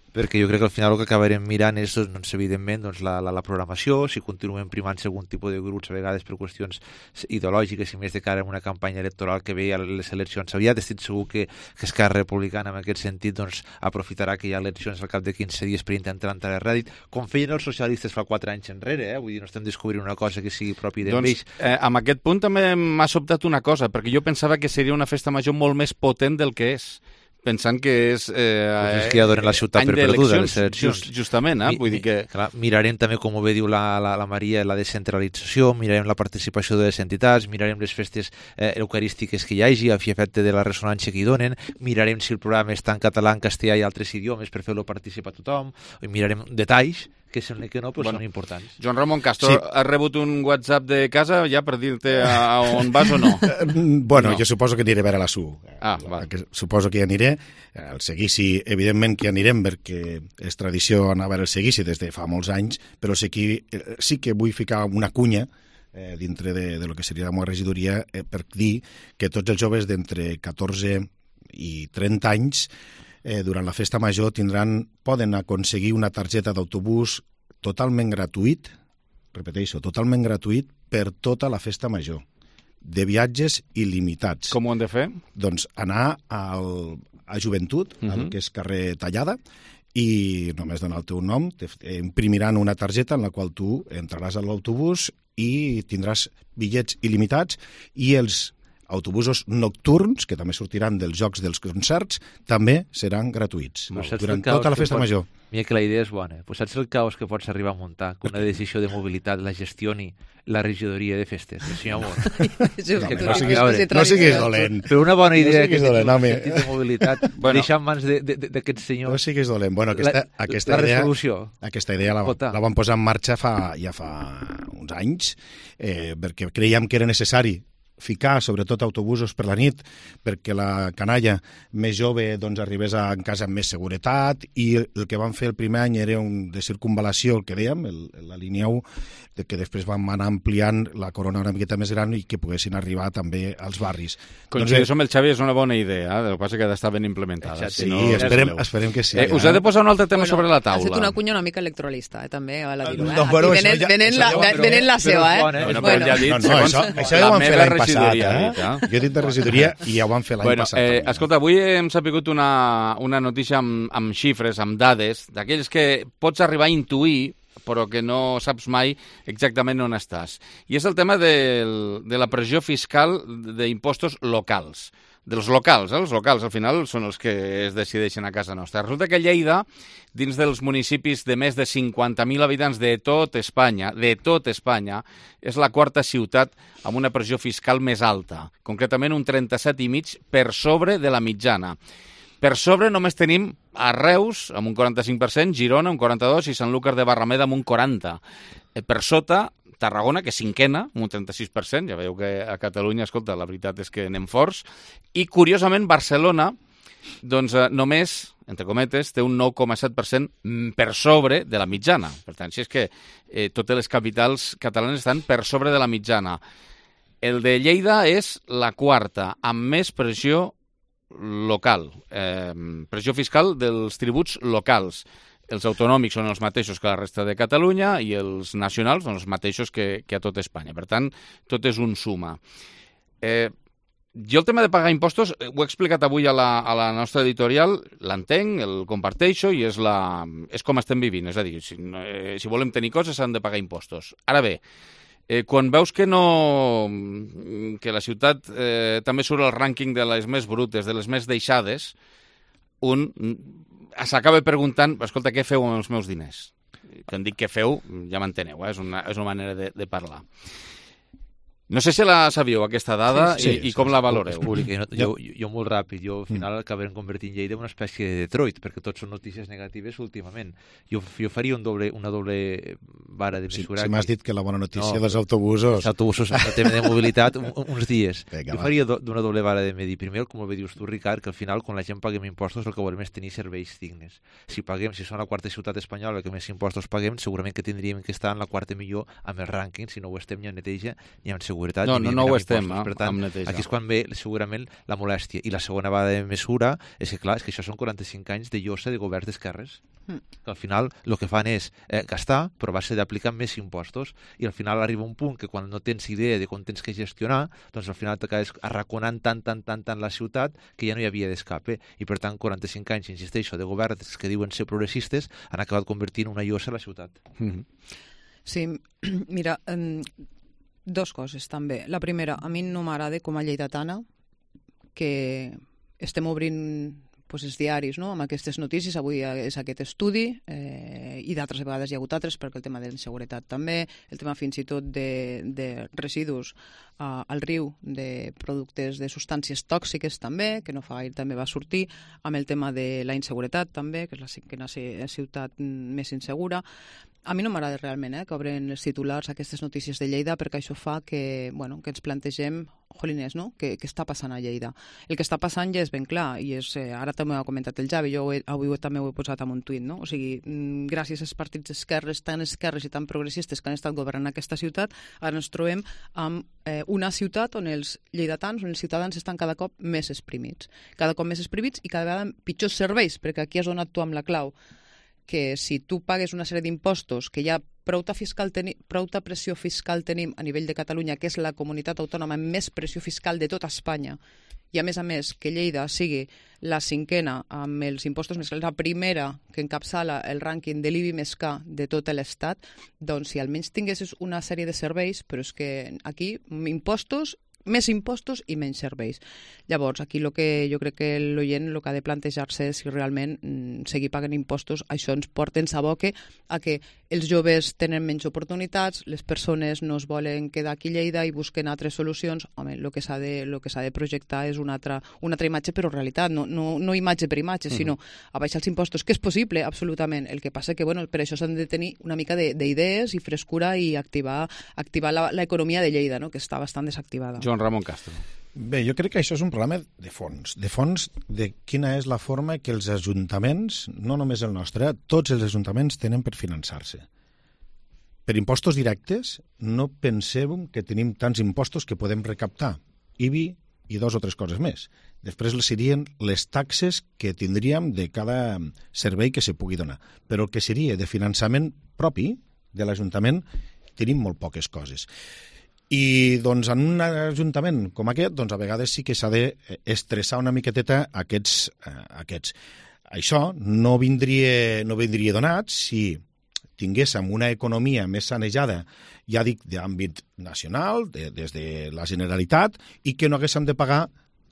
Perquè jo crec que al final el que acabarem mirant és, doncs, evidentment, doncs, la, la, la programació, si continuem primant algun tipus de grups, a vegades per qüestions ideològiques i més de cara a una campanya electoral que ve a les eleccions aviat. Estic segur que, que Esquerra Republicana, en aquest sentit, doncs, aprofitarà que hi ha eleccions al cap de quinze dies per intentar entrar a rèdit, com feien els socialistes fa quatre anys enrere, eh? Vull dir, no estem descobrint una cosa que sigui propi d'ells. Doncs, eh, amb aquest punt també m'ha sobtat una cosa, perquè jo pensava que seria una festa major molt més potent del que és. Pensant que és... Eh, pues és que ja donen la ciutat per perduda, les eleccions. Just, justament, eh? Vull dir que... Clar, mirarem també, com ho bé diu la, la, la Maria, la descentralització, mirarem la participació de les entitats, mirarem les festes eh, eucarístiques que hi hagi, a fi efecte de la ressonància que hi donen, mirarem si el programa està en català, en castellà i altres idiomes per fer-lo participar tothom, i mirarem detalls que sembla que no, però bueno, són importants. Joan Ramon Castro, sí. Has rebut un WhatsApp de casa ja per dir-te a, a on vas o no? Bueno, no. Jo suposo que aniré a veure la S U. Ah, va. Suposo que hi aniré. El seguici, evidentment que hi anirem, perquè és tradició anar a veure el seguici des de fa molts anys, però sí que, sí que vull ficar una cunya eh, dintre de, de lo que seria la meva regidoria eh, per dir que tots els joves d'entre catorze i trenta anys Eh, durant la festa major tindran, poden aconseguir una targeta d'autobús totalment gratuït, repeteixo, totalment gratuït per tota la festa major, de viatges il·limitats. Com ho han de fer? Doncs anar al, a Joventut, uh-huh. al que és carrer Tallada, i només donar el teu nom, imprimiran una targeta en la qual tu entraràs a l'autobús i tindràs bitllets il·limitats i els autobusos nocturns, que també sortiran dels jocs dels concerts, també seran gratuïts durant tota la festa pot... major. Mira que la idea és bona. Pues saps el caos que pots arribar a muntar que una decisió de mobilitat la gestioni la regidoria de festes? El senyor Amor. No siguis, no siguis dolent. Però una bona idea no que té un sentit de mobilitat bueno, deixar en mans d'aquest senyor. No siguis dolent. Bueno, aquesta, la, aquesta la idea, resolució. Aquesta idea la, la vam posar en marxa fa, ja fa uns anys, eh, perquè creiem que era necessari ficar, sobretot, autobusos per la nit, perquè la canalla més jove doncs, arribés a casa amb més seguretat, i el que vam fer el primer any era un de circunvalació, el que dèiem, el, la línia u, que després vam anar ampliant la corona una miqueta més gran i que poguessin arribar també als barris. Coincidim doncs, amb el Xavi, és una bona idea, eh? El que passa que ha d'estar ben implementada. Sí, si no, esperem, esperem que sí. Eh, us he de posar un altre tema bueno, sobre la taula. Has fet una cunya una mica electoralista, eh, també, a la dir-ho. Eh? No, bueno, venen, ja, venen, la, ja, venen la seva, eh? Bueno, bueno. Ja dit, no, no, això, això ja ho vam fer l'any passat, eh? Jo tinc de regidoria i ja ho vam fer l'any bueno, passat. Eh, escolta, avui hem sapigut una, una notícia amb, amb xifres, amb dades, d'aquells que pots arribar a intuir però que no saps mai exactament on estàs. I és el tema del, de la pressió fiscal d'impostos locals. Dels locals, eh? Els locals al final són els que es decideixen a casa nostra. Resulta que Lleida, dins dels municipis de més de cinquanta mil habitants de tot Espanya, de tot Espanya, és la quarta ciutat amb una pressió fiscal més alta, concretament un trenta-set i mig per sobre de la mitjana. Per sobre només tenim a Reus, amb un quaranta-cinc per cent, Girona, un quaranta-dos per cent, i Sanlúcar de Barrameda, amb un quaranta per cent. Per sota, Tarragona, que és cinquena, amb un trenta-sis per cent. Ja veieu que a Catalunya, escolta, la veritat és que anem forts. I, curiosament, Barcelona, doncs eh, només, entre cometes, té un nou coma set per cent per sobre de la mitjana. Per tant, si és que eh, totes les capitals catalanes estan per sobre de la mitjana. El de Lleida és la quarta, amb més pressió local, eh, pressió fiscal dels tributs locals. Els autonòmics són els mateixos que la resta de Catalunya i els nacionals són els mateixos que, que a tot Espanya. Per tant, tot és un suma. Eh, jo el tema de pagar impostos ho he explicat avui a la, a la nostra editorial, l'entenc, el comparteixo i és, la, és com estem vivint. És a dir, si, eh, si volem tenir coses s'han de pagar impostos. Ara bé, Eh, quan veus que no que la ciutat eh, també surt al rànquing de les més brutes, de les més deixades, un s'acaba preguntant, escolta, què feu amb els meus diners? Quan dic què feu, ja m'enteneu, eh? és, una, és una manera de, de parlar. No sé si la sabíeu, aquesta dada, sí, sí, i, i com sí, la valoreu. Jo, jo, jo molt ràpid, jo al final mm. acabarem convertint Lleida en una espècie de Detroit, perquè tots són notícies negatives últimament. Jo, jo faria un doble, una doble vara de mesurar. Si, si m'has dit que la bona notícia no, dels autobusos... Els autobusos, el tema de mobilitat, un, uns dies. Venga, jo faria d'una doble vara de medir. Primer, com ho dius tu, Ricard, que al final, quan la gent paguem impostos, el que volem és tenir serveis dignes. Si paguem, si som la quarta ciutat espanyola que més impostos paguem, segurament que tindríem que estar en la quarta millor amb el rànquing, si no ho estem ni en neteja ni en seguretat. No, no, no ho estem, eh? Per tant, aquí és quan ve segurament la molèstia. I la segona vegada de mesura és que, clar, és que això són quaranta-cinc anys de llosa de governs d'esquerres. Mm. Que al final el que fan és eh, gastar, però va ser d'aplicar més impostos, i al final arriba un punt que quan no tens idea de com tens que gestionar, doncs al final t'acabes arraconant tant, tant, tant, tant la ciutat que ja no hi havia d'escape. I per tant, quaranta-cinc anys, insisteixo, de governs que diuen ser progressistes han acabat convertint una llosa a la ciutat. Mm-hmm. Sí, mira... Um... Dos coses, també. La primera, a mi no m'agrada com a lleidatana que estem obrint pues, els diaris, no?, amb aquestes notícies. Avui és aquest estudi eh, i d'altres vegades hi ha hagut altres, perquè el tema de la inseguretat també, el tema fins i tot de, de residus uh, al riu, de productes de substàncies tòxiques també, que no fa gaire també va sortir, amb el tema de la inseguretat també, que és la cinquena ciutat més insegura. A mi no m'agrada realment eh, que obren els titulars aquestes notícies de Lleida, perquè això fa que, bueno, que ens plantegem, jolines, no?, què està passant a Lleida. El que està passant ja és ben clar, i és, eh, ara també ho ha comentat el Javi, jo he, avui també ho he posat en un tuit, no? O sigui, gràcies als partits esquerres, tan esquerres i tan progressistes que han estat governant aquesta ciutat, ara ens trobem amb eh, una ciutat on els lleidatans, on els ciutadans estan cada cop més exprimits. Cada cop més exprimits i cada vegada pitjors serveis, perquè aquí has donat tu amb la clau, que si tu pagues una sèrie d'impostos que ja prou-ta fiscal teni, prou-ta pressió fiscal tenim a nivell de Catalunya, que és la comunitat autònoma amb més pressió fiscal de tota Espanya, i a més a més que Lleida sigui la cinquena amb els impostos més, la primera que encapçala el rànquing de l'I B I més K de tot l'Estat, doncs si almenys tinguessis una sèrie de serveis, però és que aquí impostos més impostos i menys serveis. Llavors, aquí lo que jo crec que l'oient el que ha de plantejar-se és si realment mm, seguir pagant impostos, això ens porta en saboque a que els joves tenen menys oportunitats, les persones no es volen quedar aquí a Lleida i busquen altres solucions. Home, el que s'ha de, lo que s'ha de projectar és una altra, una altra imatge, però realitat, no, no, no imatge per imatge, sinó a baixar els impostos, que és possible, absolutament. El que passa que, bueno, per això s'han de tenir una mica d'idees i frescura i activar, activar l'economia de Lleida, no?, que està bastant desactivada. Joan Ramon Castro. Bé, jo crec que això és un problema de fons, de fons de quina és la forma que els ajuntaments, no només el nostre, tots els ajuntaments tenen per finançar-se. Per impostos directes, no pensem que tenim tants impostos que podem recaptar. I B I i dos o tres coses més. Després serien les taxes que tindríem de cada servei que se pugui donar. Però el que seria de finançament propi de l'Ajuntament tenim molt poques coses. I doncs, en un ajuntament com aquest, doncs, a vegades sí que s'ha d'estressar una miqueteta aquests, eh, aquests. Això no vindria, no vindria donat si tinguéssim una economia més sanejada, ja dic, d'àmbit nacional, de, des de la Generalitat, i que no haguéssim de pagar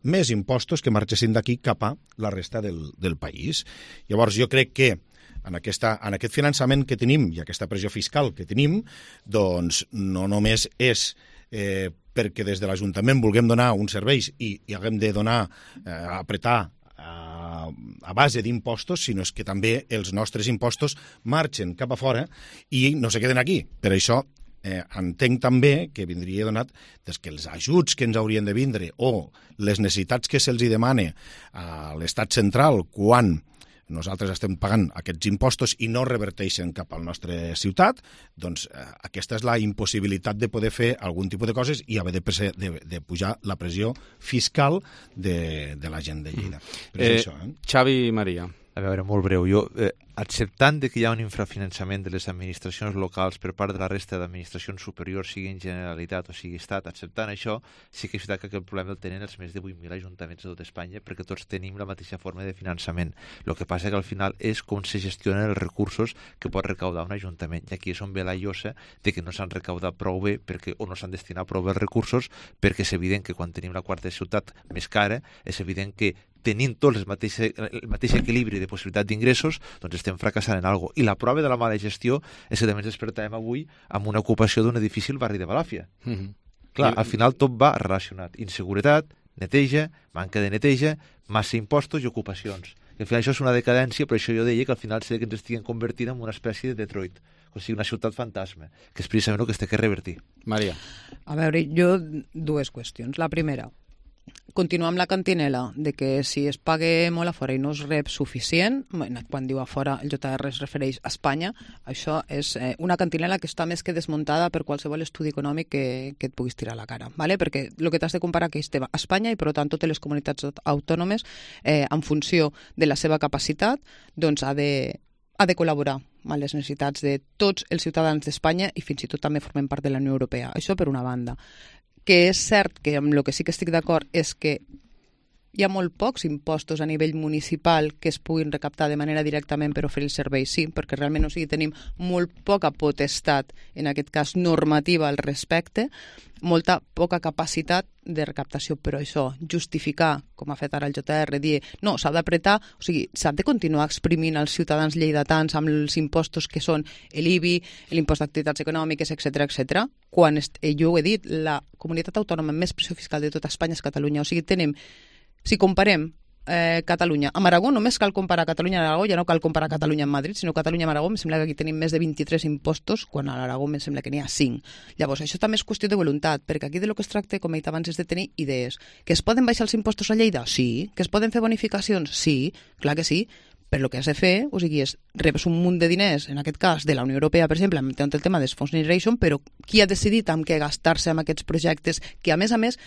més impostos que marxessin d'aquí cap a la resta del, del país. Llavors, jo crec que en, aquesta, en aquest finançament que tenim i aquesta pressió fiscal que tenim, doncs no només és eh, perquè des de l'Ajuntament vulguem donar uns serveis i, i haguem de donar, eh, apretar a, a base d'impostos, sinó és que també els nostres impostos marxen cap a fora i no se queden aquí. Per això eh, entenc també que vindria donat des que els ajuts que ens haurien de vindre o les necessitats que se'ls demana a l'estat central quan nosaltres estem pagant aquests impostos i no reverteixen cap a la nostra ciutat, doncs eh, aquesta és la impossibilitat de poder fer algun tipus de coses i haver de, de, de pujar la pressió fiscal de, de la gent de Lleida. Però eh, és això, eh? Xavi Maria. A veure, molt breu. Jo, eh, acceptant que hi ha un infrafinançament de les administracions locals per part de la resta d'administracions superiors, sigui en Generalitat o sigui Estat, acceptant això, sí que és veritat que aquest problema el tenen els més de vuit mil ajuntaments de tot Espanya perquè tots tenim la mateixa forma de finançament. El que passa que al final és com se gestionen els recursos que pot recaudar un ajuntament. I aquí és on ve la llosa de que no s'han recaudat prou bé perquè, o no s'han destinat prou bé els recursos, perquè és evident que quan tenim la quarta ciutat més cara, és evident que tenint tots el mateix, el mateix equilibri de possibilitat d'ingressos, doncs estem fracassant en alguna cosa. I la prova de la mala gestió és que també ens despertàvem avui amb una ocupació d'un edifici al barri de Balàfia. Mm-hmm. Clar, al final tot va relacionat. Inseguretat, neteja, manca de neteja, massa impostos i ocupacions. I al final això és una decadència, però això jo deia que al final sé que ens estiguen convertint en una espècie de Detroit, o sigui, una ciutat fantasma, que és precisament el que es té que revertir. Maria. A veure, jo dues qüestions. La primera, continuar amb la cantinela de que si es paga molt a fora i no es rep suficient, quan diu a fora el J R es refereix a Espanya, això és eh, una cantinela que està més que desmuntada per qualsevol estudi econòmic que, que et puguis tirar a la cara, ¿vale? Perquè el que t'has de comparar que és a Espanya i per tant totes les comunitats autònomes eh, en funció de la seva capacitat doncs ha de ha de col·laborar amb les necessitats de tots els ciutadans d'Espanya i fins i tot també formen part de la Unió Europea. Això per una banda. Que és cert que amb el que sí que estic d'acord és que hi ha molt pocs impostos a nivell municipal que es puguin recaptar de manera directament per oferir el servei, sí, perquè realment o sigui, tenim molt poca potestat, en aquest cas normativa al respecte, molta poca capacitat de recaptació, però això, justificar, com ha fet ara el J R, dir, no, s'ha d'apretar, o sigui, s'ha de continuar exprimint els ciutadans lleidatans amb els impostos que són l'I B I, l'impost d'activitats econòmiques, etcètera, etcètera, quan, jo ho he dit, la comunitat autònoma amb més pressió fiscal de tot Espanya és Catalunya, o sigui, tenim, si comparem eh, Catalunya amb Aragó, només cal comparar Catalunya amb Aragó, ja no cal comparar Catalunya amb Madrid, sinó Catalunya amb Aragó, em sembla que aquí tenim més de vint-i-tres impostos, quan a l'Aragó em sembla que n'hi ha cinc. Llavors, això també és qüestió de voluntat, perquè aquí de lo que es tracta, com he dit abans, és de tenir idees. Que es poden baixar els impostos a Lleida? Sí. Que es poden fer bonificacions? Sí, clar que sí. Però el que has de fer, o sigui, és rebes un munt de diners, en aquest cas de la Unió Europea, per exemple, amb el tema dels fons Generation, però qui ha decidit amb què gastar-se amb aquests projectes que, a més a més,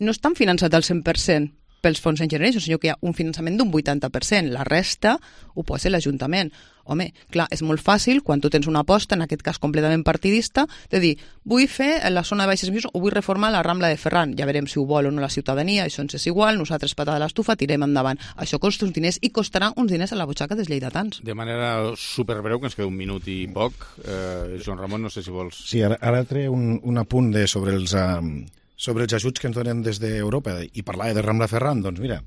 no estan finançats al cent per cent pels fons en Generation, sinó que hi ha un finançament d'un vuitanta per cent. La resta ho pot ser l'Ajuntament. Home, clar, és molt fàcil, quan tu tens una aposta, en aquest cas completament partidista, de dir, vull fer la zona de baixes emissions o vull reformar la Rambla de Ferran. Ja veurem si ho vol o no la ciutadania, això ens és igual, nosaltres patada a l'estufa, tirem endavant. Això costa uns diners i costarà uns diners a la butxaca dels lleidatans. De manera superbreu, que ens queda un minut i poc, eh, Joan Ramon, no sé si vols... Sí, ara, ara trec un, un apunt de sobre els... Um... sobre els ajuts que ens donen des d'Europa i parlava de Rambla Ferran, doncs mira,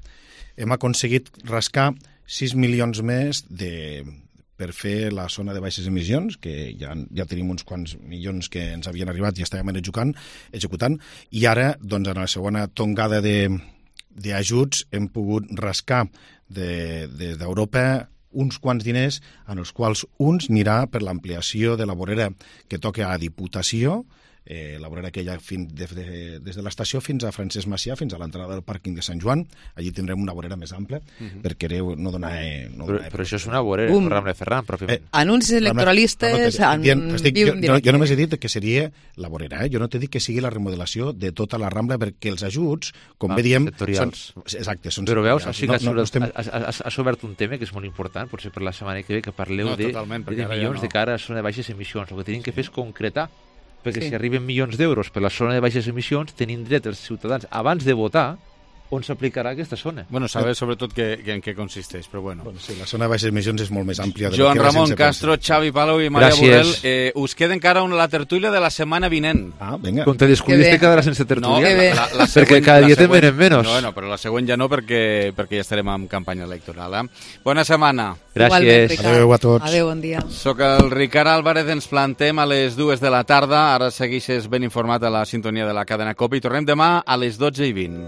hem aconseguit rascar sis milions més de, per fer la zona de baixes emissions, que ja, ja tenim uns quants milions que ens havien arribat i estàvem executant, executant i ara, doncs, en la segona tongada de, d'ajuts hem pogut rascar de, de, d'Europa uns quants diners, en els quals uns anirà per l'ampliació de la vorera que toca a Diputació, eh, la vorera que hi ha fin, de, de, des de l'estació fins a Francesc Macià, fins a l'entrada del pàrquing de Sant Joan. Allí tindrem una vorera més ampla, uh-huh. perquè no donar... Eh, no però, donar però això és una vorera, um. Rambla Ferran, pròpiament. Eh, Anuncis electoralistes... No, no, no, estic, jo, jo, jo només he dit que seria la vorera, eh? Jo no t'he dit que sigui la remodelació de tota la Rambla, perquè els ajuts, com ah, bé diem... Sectorials. Són, exacte, són però veus, així que no, no, has, estem... has, has, has obert un tema que és molt important, potser per la setmana que ve, que parleu no, de, de milions no. de cara a zona de baixes emissions. El que tenim que fer és concretar, perquè sí. si arriben milions d'euros per la zona de baixes emissions, tenim dret els ciutadans, abans de votar, on s'aplicarà aquesta zona. Bueno, saber sobretot que, que en què consisteix, però bueno. bueno sí, la zona de baixes emissions és molt més àmplia. De Joan Ramon Castro, Xavi Palau i Maria Borrell, eh, us queda encara una, la tertúlia de la setmana vinent. Ah, vinga. Com te descubriste quedarà sense tertúlia? No, la, la, la següent, perquè cada dia te'n venen menys. No, no, però la següent ja no, perquè, perquè ja estarem en campanya electoral. Eh? Bona setmana. Gràcies. Adéu a tots. Adéu, bon dia. Soc el Ricard Álvarez, ens plantem a les dues de la tarda. Ara segueixes ben informat a la sintonia de la cadena COPE i tornem demà a les dotze i vint.